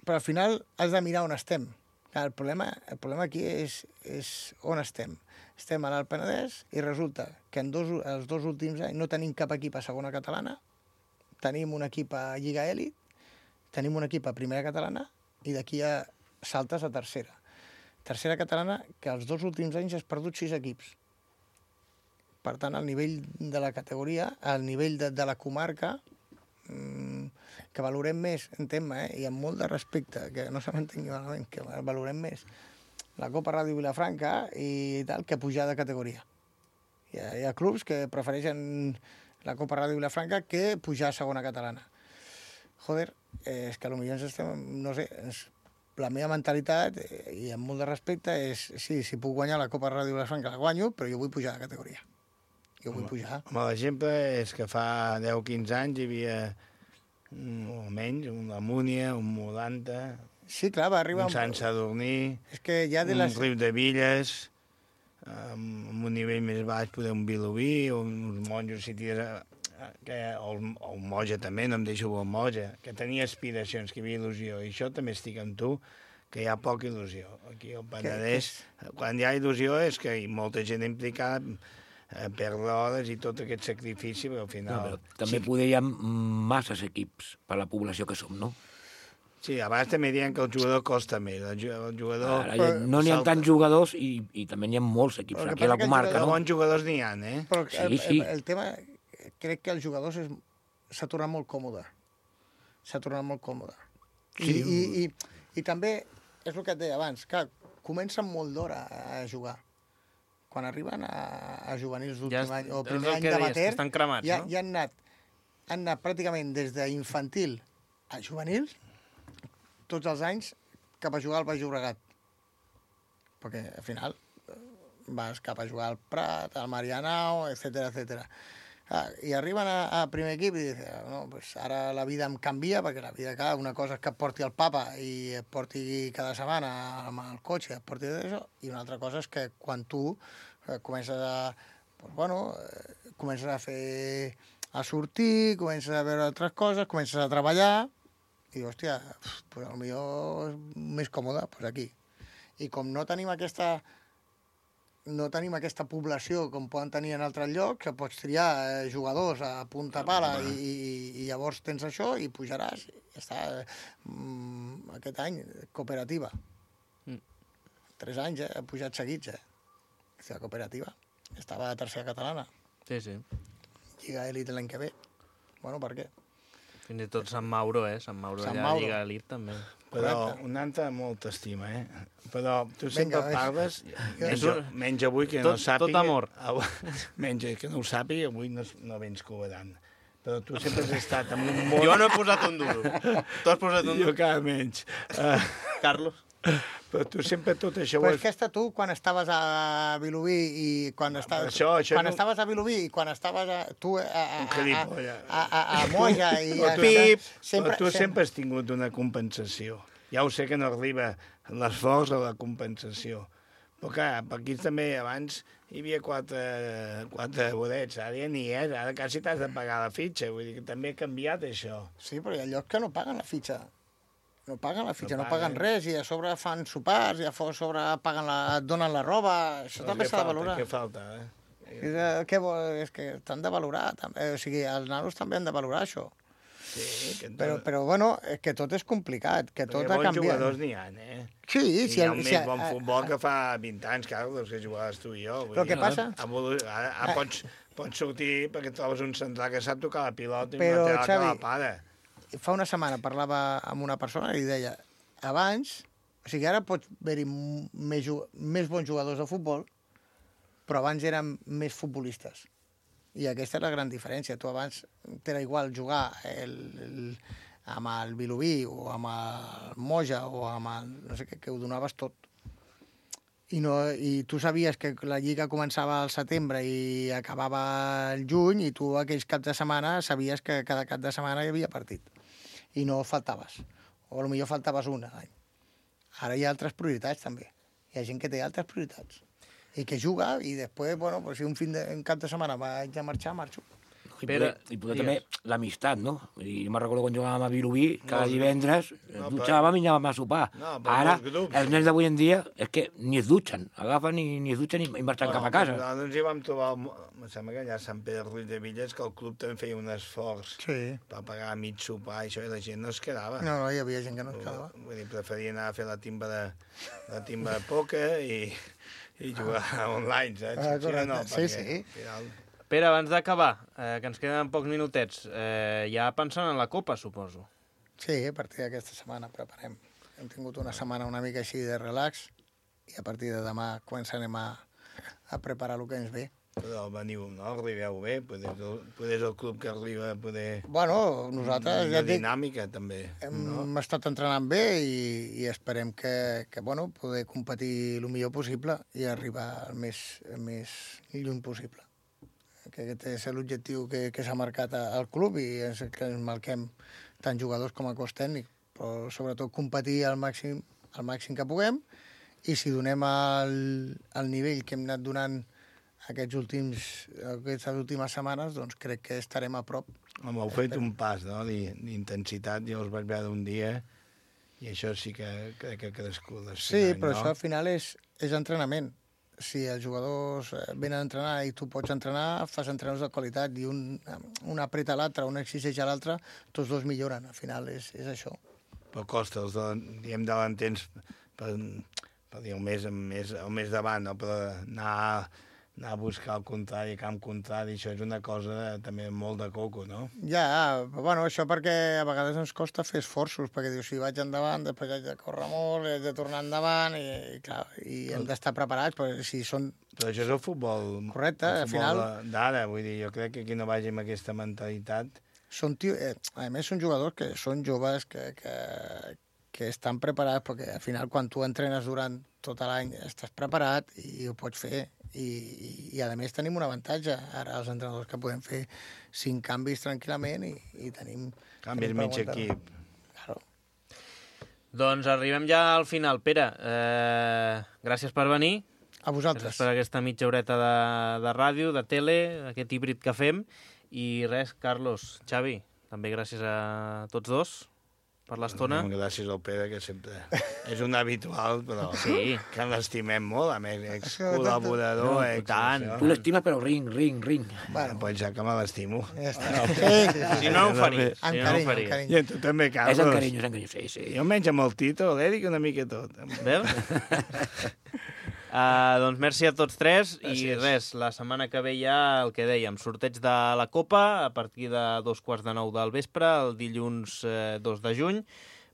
però al final has de mirar on estem. El problema, el problema aquí és, és on estem. Estem a l'Alt Penedès i resulta que en dos, els dos últims anys no tenim cap equip a segona catalana, tenim un equip a Lliga Elit, tenim un equip a primera catalana i d'aquí ja saltes a tercera. Tercera catalana que els dos últims anys has perdut sis equips. Per tant, al nivell de la categoria, al nivell de, de la comarca, mmm, que valorem més, entén-me, eh? I amb molt de respecte, que no se m'entengui malament, que valorem més la Copa Ràdio Vilafranca i tal, que pujar de categoria. Hi ha, hi ha clubs que prefereixen la Copa Ràdio Vilafranca que pujar a segona catalana. Joder, eh, és que potser ens estem, no sé, ens, la meva mentalitat, eh, i amb molt de respecte, és, sí, si puc guanyar la Copa Ràdio Vilafranca la guanyo, però jo vull pujar de categoria. Jo vull pujar. Home, l'exemple és que fa deu o quinze anys hi havia, o menys, un Múnia, un Molanta... Sí, clar, va arribar... Un Sant Sadurní, és que ja de un les... Riu de Villes, amb un nivell més baix, poder un Vilobí, uns monjos, si tires... Que, o, el, o un Moja també, no em deixo el Moja, que tenia aspiracions, que hi havia il·lusió, i això també estic amb tu, que hi ha poca il·lusió. Aquí al Penedès, que... quan hi ha il·lusió és que hi ha molta gent implicada, eh, perdre hores i tot aquest sacrifici, però al final... No, però també sí. Poder hi ha masses equips per la població que som, no? Sí, abans també diuen que el jugador costa més. El jugador... Ara, no n'hi ha tants jugadors i, i també n'hi ha molts equips aquí a la comarca, no? Bons jugadors n'hi ha, eh? Però sí, el, sí. El, el tema, crec que els jugadors és, s'ha tornat molt còmode. S'ha tornat molt còmode. Sí. I, i, i, I també, és el que et deia abans, que comencen molt d'hora a jugar. Quan arriben a, a juvenils d'últim ja any, o primer any d'amater, estan cremats, ja, no? ja han anat, han anat pràcticament des d'infantil a juvenils, tots els anys, cap a jugar al Baix Llobregat. Perquè, al final, vas cap a jugar al Prat, al Marianao, etcètera, etcètera. Ah, I arriben a, a primer equip i diuen, no, pues ara la vida em canvia, perquè la vida, clar, una cosa és que et porti el papa i et porti cada setmana amb el cotxe, et porti d'això, i una altra cosa és que quan tu eh, comences a, pues, bueno, eh, comences a fer, a sortir, comences a veure altres coses, comences a treballar, i dius, hòstia, pues, potser és més còmode, pues aquí. I com no tenim aquesta no tenim aquesta població com poden tenir en altres llocs, que pots triar eh, jugadors a punta pala i, i, i llavors tens això i pujaràs. Ja està. Mm, aquest any, cooperativa. Mm. Tres anys, eh? Ha pujat seguits, eh? La cooperativa. Estava a tercera catalana. Sí, sí. Lliga Elit l'any que ve. Bueno, per què? Fins i tot Sant Mauro, eh? Sant Mauro Sant allà Mauro. a Lliga Elit, també. Però un altre molt estima, eh? Però tu sempre Vinga, parles, menys, un... menys avui que tot, no sàpiga... Tot amor. Menys que no ho sàpiga, avui no, no vens cobrant. Però tu sempre has estat en un món... Jo no he posat un duro. Tu has posat un duro? Jo cada menys. Uh, Carlos? Però tu sempre tot això... Però ho és que està tu, quan estaves a Vilobí i quan, estaves, això, això quan no... estaves a Vilobí i quan estaves a, tu a, a, Un gilipolla. a, a, a, a Moja i... Però A, tu, sempre, però tu sempre has tingut una compensació. Ja ho sé que no arriba l'esforç a la compensació. Però clar, per aquí també abans hi havia quatre, quatre bodets, ara ja n'hi és, ara quasi t'has de pagar la fitxa, vull dir que també ha canviat això. Sí, però hi ha llocs que no paguen la fitxa. No paguen la fitxa, no, No paguen paguen. res, i a sobre fan sopars, i a sobre paguen la, et donen la roba, això Doncs també què s'ha de falta, valorar. Què falta, eh? És, eh, què vol, és que t'han de valorar, també. O sigui, els nanos també han de valorar això. Sí, que Però, però bueno, és que tot és complicat, que tot ha bons canviat. jugadors n'hi ha, eh? Sí, I si hi ha el- un si més el- bon futbol que fa vint anys, Carlos, que jugaves tu i jo. Vull Però dir, què passa? Evolu... Ara, ara pots, pots sortir perquè trobes un central que sap tocar la pilota i Però, no té la Xavi, que la para. Fa una setmana parlava amb una persona i li deia, abans, o sigui, ara pots haver-hi m- més, ju- més bons jugadors de futbol, però abans eren més futbolistes. I aquesta és la gran diferència. Tu abans t'era igual jugar el, el, amb el Vilobí o amb el Moja o amb el... no sé què, que ho donaves tot. I, no, I tu sabies que la lliga començava al setembre i acabava el juny, i tu aquells caps de setmana sabies que cada cap de setmana hi havia partit. I no faltaves. O potser faltaves una a l'any. Ara hi ha altres prioritats, també. Hi ha gent que té altres prioritats. I que juga, i després, bueno, pues, si un, fin de, un cap de setmana vaig a marxar, marxo. I poder, i poder també l'amistat, no? Vull dir, jo me'n recordo quan jugàvem a Vilobí, cada divendres, no, dutxàvem i anàvem a sopar. No, però Ara, els grups. els nens d'avui en dia, és que ni es dutxen, agafen i ni es dutxen i, i marxen cap a casa. Nosaltres hi vam trobar, em sembla que allà a Sant Pere Ruiz de Villas, que el club també feia un esforç sí. per pagar mig sopar i això, i la gent no es quedava. No, no, hi havia gent que no es quedava. Vull dir, preferia anar a fer la timba de, la timba de pòquer i, i jugar online, saps? Ah, correcte. no, Sí, perquè, sí. al final, Pere, abans d'acabar, eh, que ens queden pocs minutets, eh, ja pensant en la Copa, suposo. Sí, a partir d'aquesta setmana preparem. Hem tingut una setmana una mica així de relax i a partir de demà començarem a, a preparar el que ens ve. però veniu, no? Arribeu bé, poder, poder és el club que arriba a poder... Bueno, nosaltres, Una ja et dic, dinàmica, també. hem no? estat entrenant bé i, i esperem que, que bueno, poder competir el millor possible i arribar el més, el més lluny possible. Que aquest és l'objectiu que, que s'ha marcat al club i és el que ens marquem tant jugadors com a cos tècnic, però sobretot competir al màxim, al màxim que puguem, i si donem el, el nivell que hem anat donant aquests últims, aquestes últimes setmanes, doncs crec que estarem a prop. Home, heu fet un pas, no?, d'intensitat. Jo us vaig veure un dia i això sí que crec que ha crescut. Sí, però no? Això al final és, és entrenament. Si els jugadors venen a entrenar i tu pots entrenar, fas entrenadors de qualitat i un, un apreta l'altre, un exigeix a l'altre, tots dos milloren. Al final és, és això. Però costa, els de, diem davantens per, per dir el més, més, el més davant, no? Però anar, anar a buscar el contrari, camp contrari, això és una cosa també molt de coco, no? Ja, però bueno, això perquè a vegades ens costa fer esforços, perquè dius, si vaig endavant, després haig de córrer molt, haig de tornar endavant, i, i clar, i hem d'estar preparats, però si són... Però això és el futbol... Correcte, el al futbol final... d'ara, vull dir, jo crec que aquí no vagi amb aquesta mentalitat... Són tio... eh, a més, són jugadors que són joves, que, que, que estan preparats, perquè al final, quan tu entrenes durant tot l'any, estàs preparat i ho pots fer. I, i, i a més tenim un avantatge ara els entrenadors, que podem fer cinc canvis tranquil·lament i, i tenim... Canvis mig equip. Claro. Doncs arribem ja al final. Pere, eh, gràcies per venir. A vosaltres. Gràcies per aquesta mitja horeta de, de ràdio, de tele, aquest híbrid que fem. I res, Carlos, Xavi, també gràcies a tots dos per l'estona. Gràcies al Pere, que sempre és un habitual, però sí. Que l'estimem molt, a més, ex-col·laborador, No, ex... tant. Tu l'estimes, però ring, ring, ring. Bueno, pues ja que me l'estimo. Ja està. No, Sí, sí, sí. Si no, ho faries. Amb Si no, ho carinyo, faries. amb carinyo. I tu també, Carlos. És amb carinyo, és amb carinyo, sí, sí. Jo menys amb el Tito, l'Eric, una mica tot. Veus? Uh, doncs merci a tots tres. Gràcies. I res, la setmana que ve ja el que dèiem, sorteig de la Copa a partir de dos quarts de nou del vespre, el dilluns eh, dos de juny.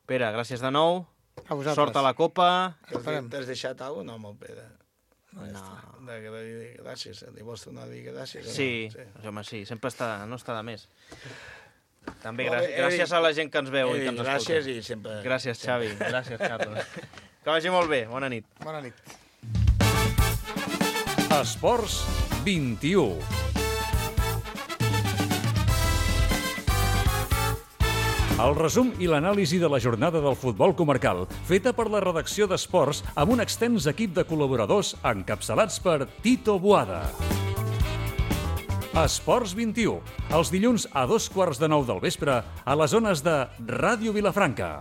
Pere, gràcies de nou. A vosaltres. Sort a la Copa. T'has deixat alguna cosa? No, amb el Pere. No. De, de, de, gràcies, li vols tornar a dir gràcies? Sí, sí. home, sí, sempre està, no està de més. També Molt bé, gràcies, gràcies a la gent que ens veu i Eric, que ens gràcies escolta. i sempre- Gràcies, Xavi. Gràcies, Carlos. Que vagi molt bé. Bona nit. Bona nit. Esports vint-i-u. El resum i l'anàlisi de la jornada del futbol comarcal, feta per la redacció d'Esports amb un extens equip de col·laboradors encapçalats per Tito Boada. Esports vint-i-u, els dilluns a dos quarts de nou del vespre a les zones de Ràdio Vilafranca.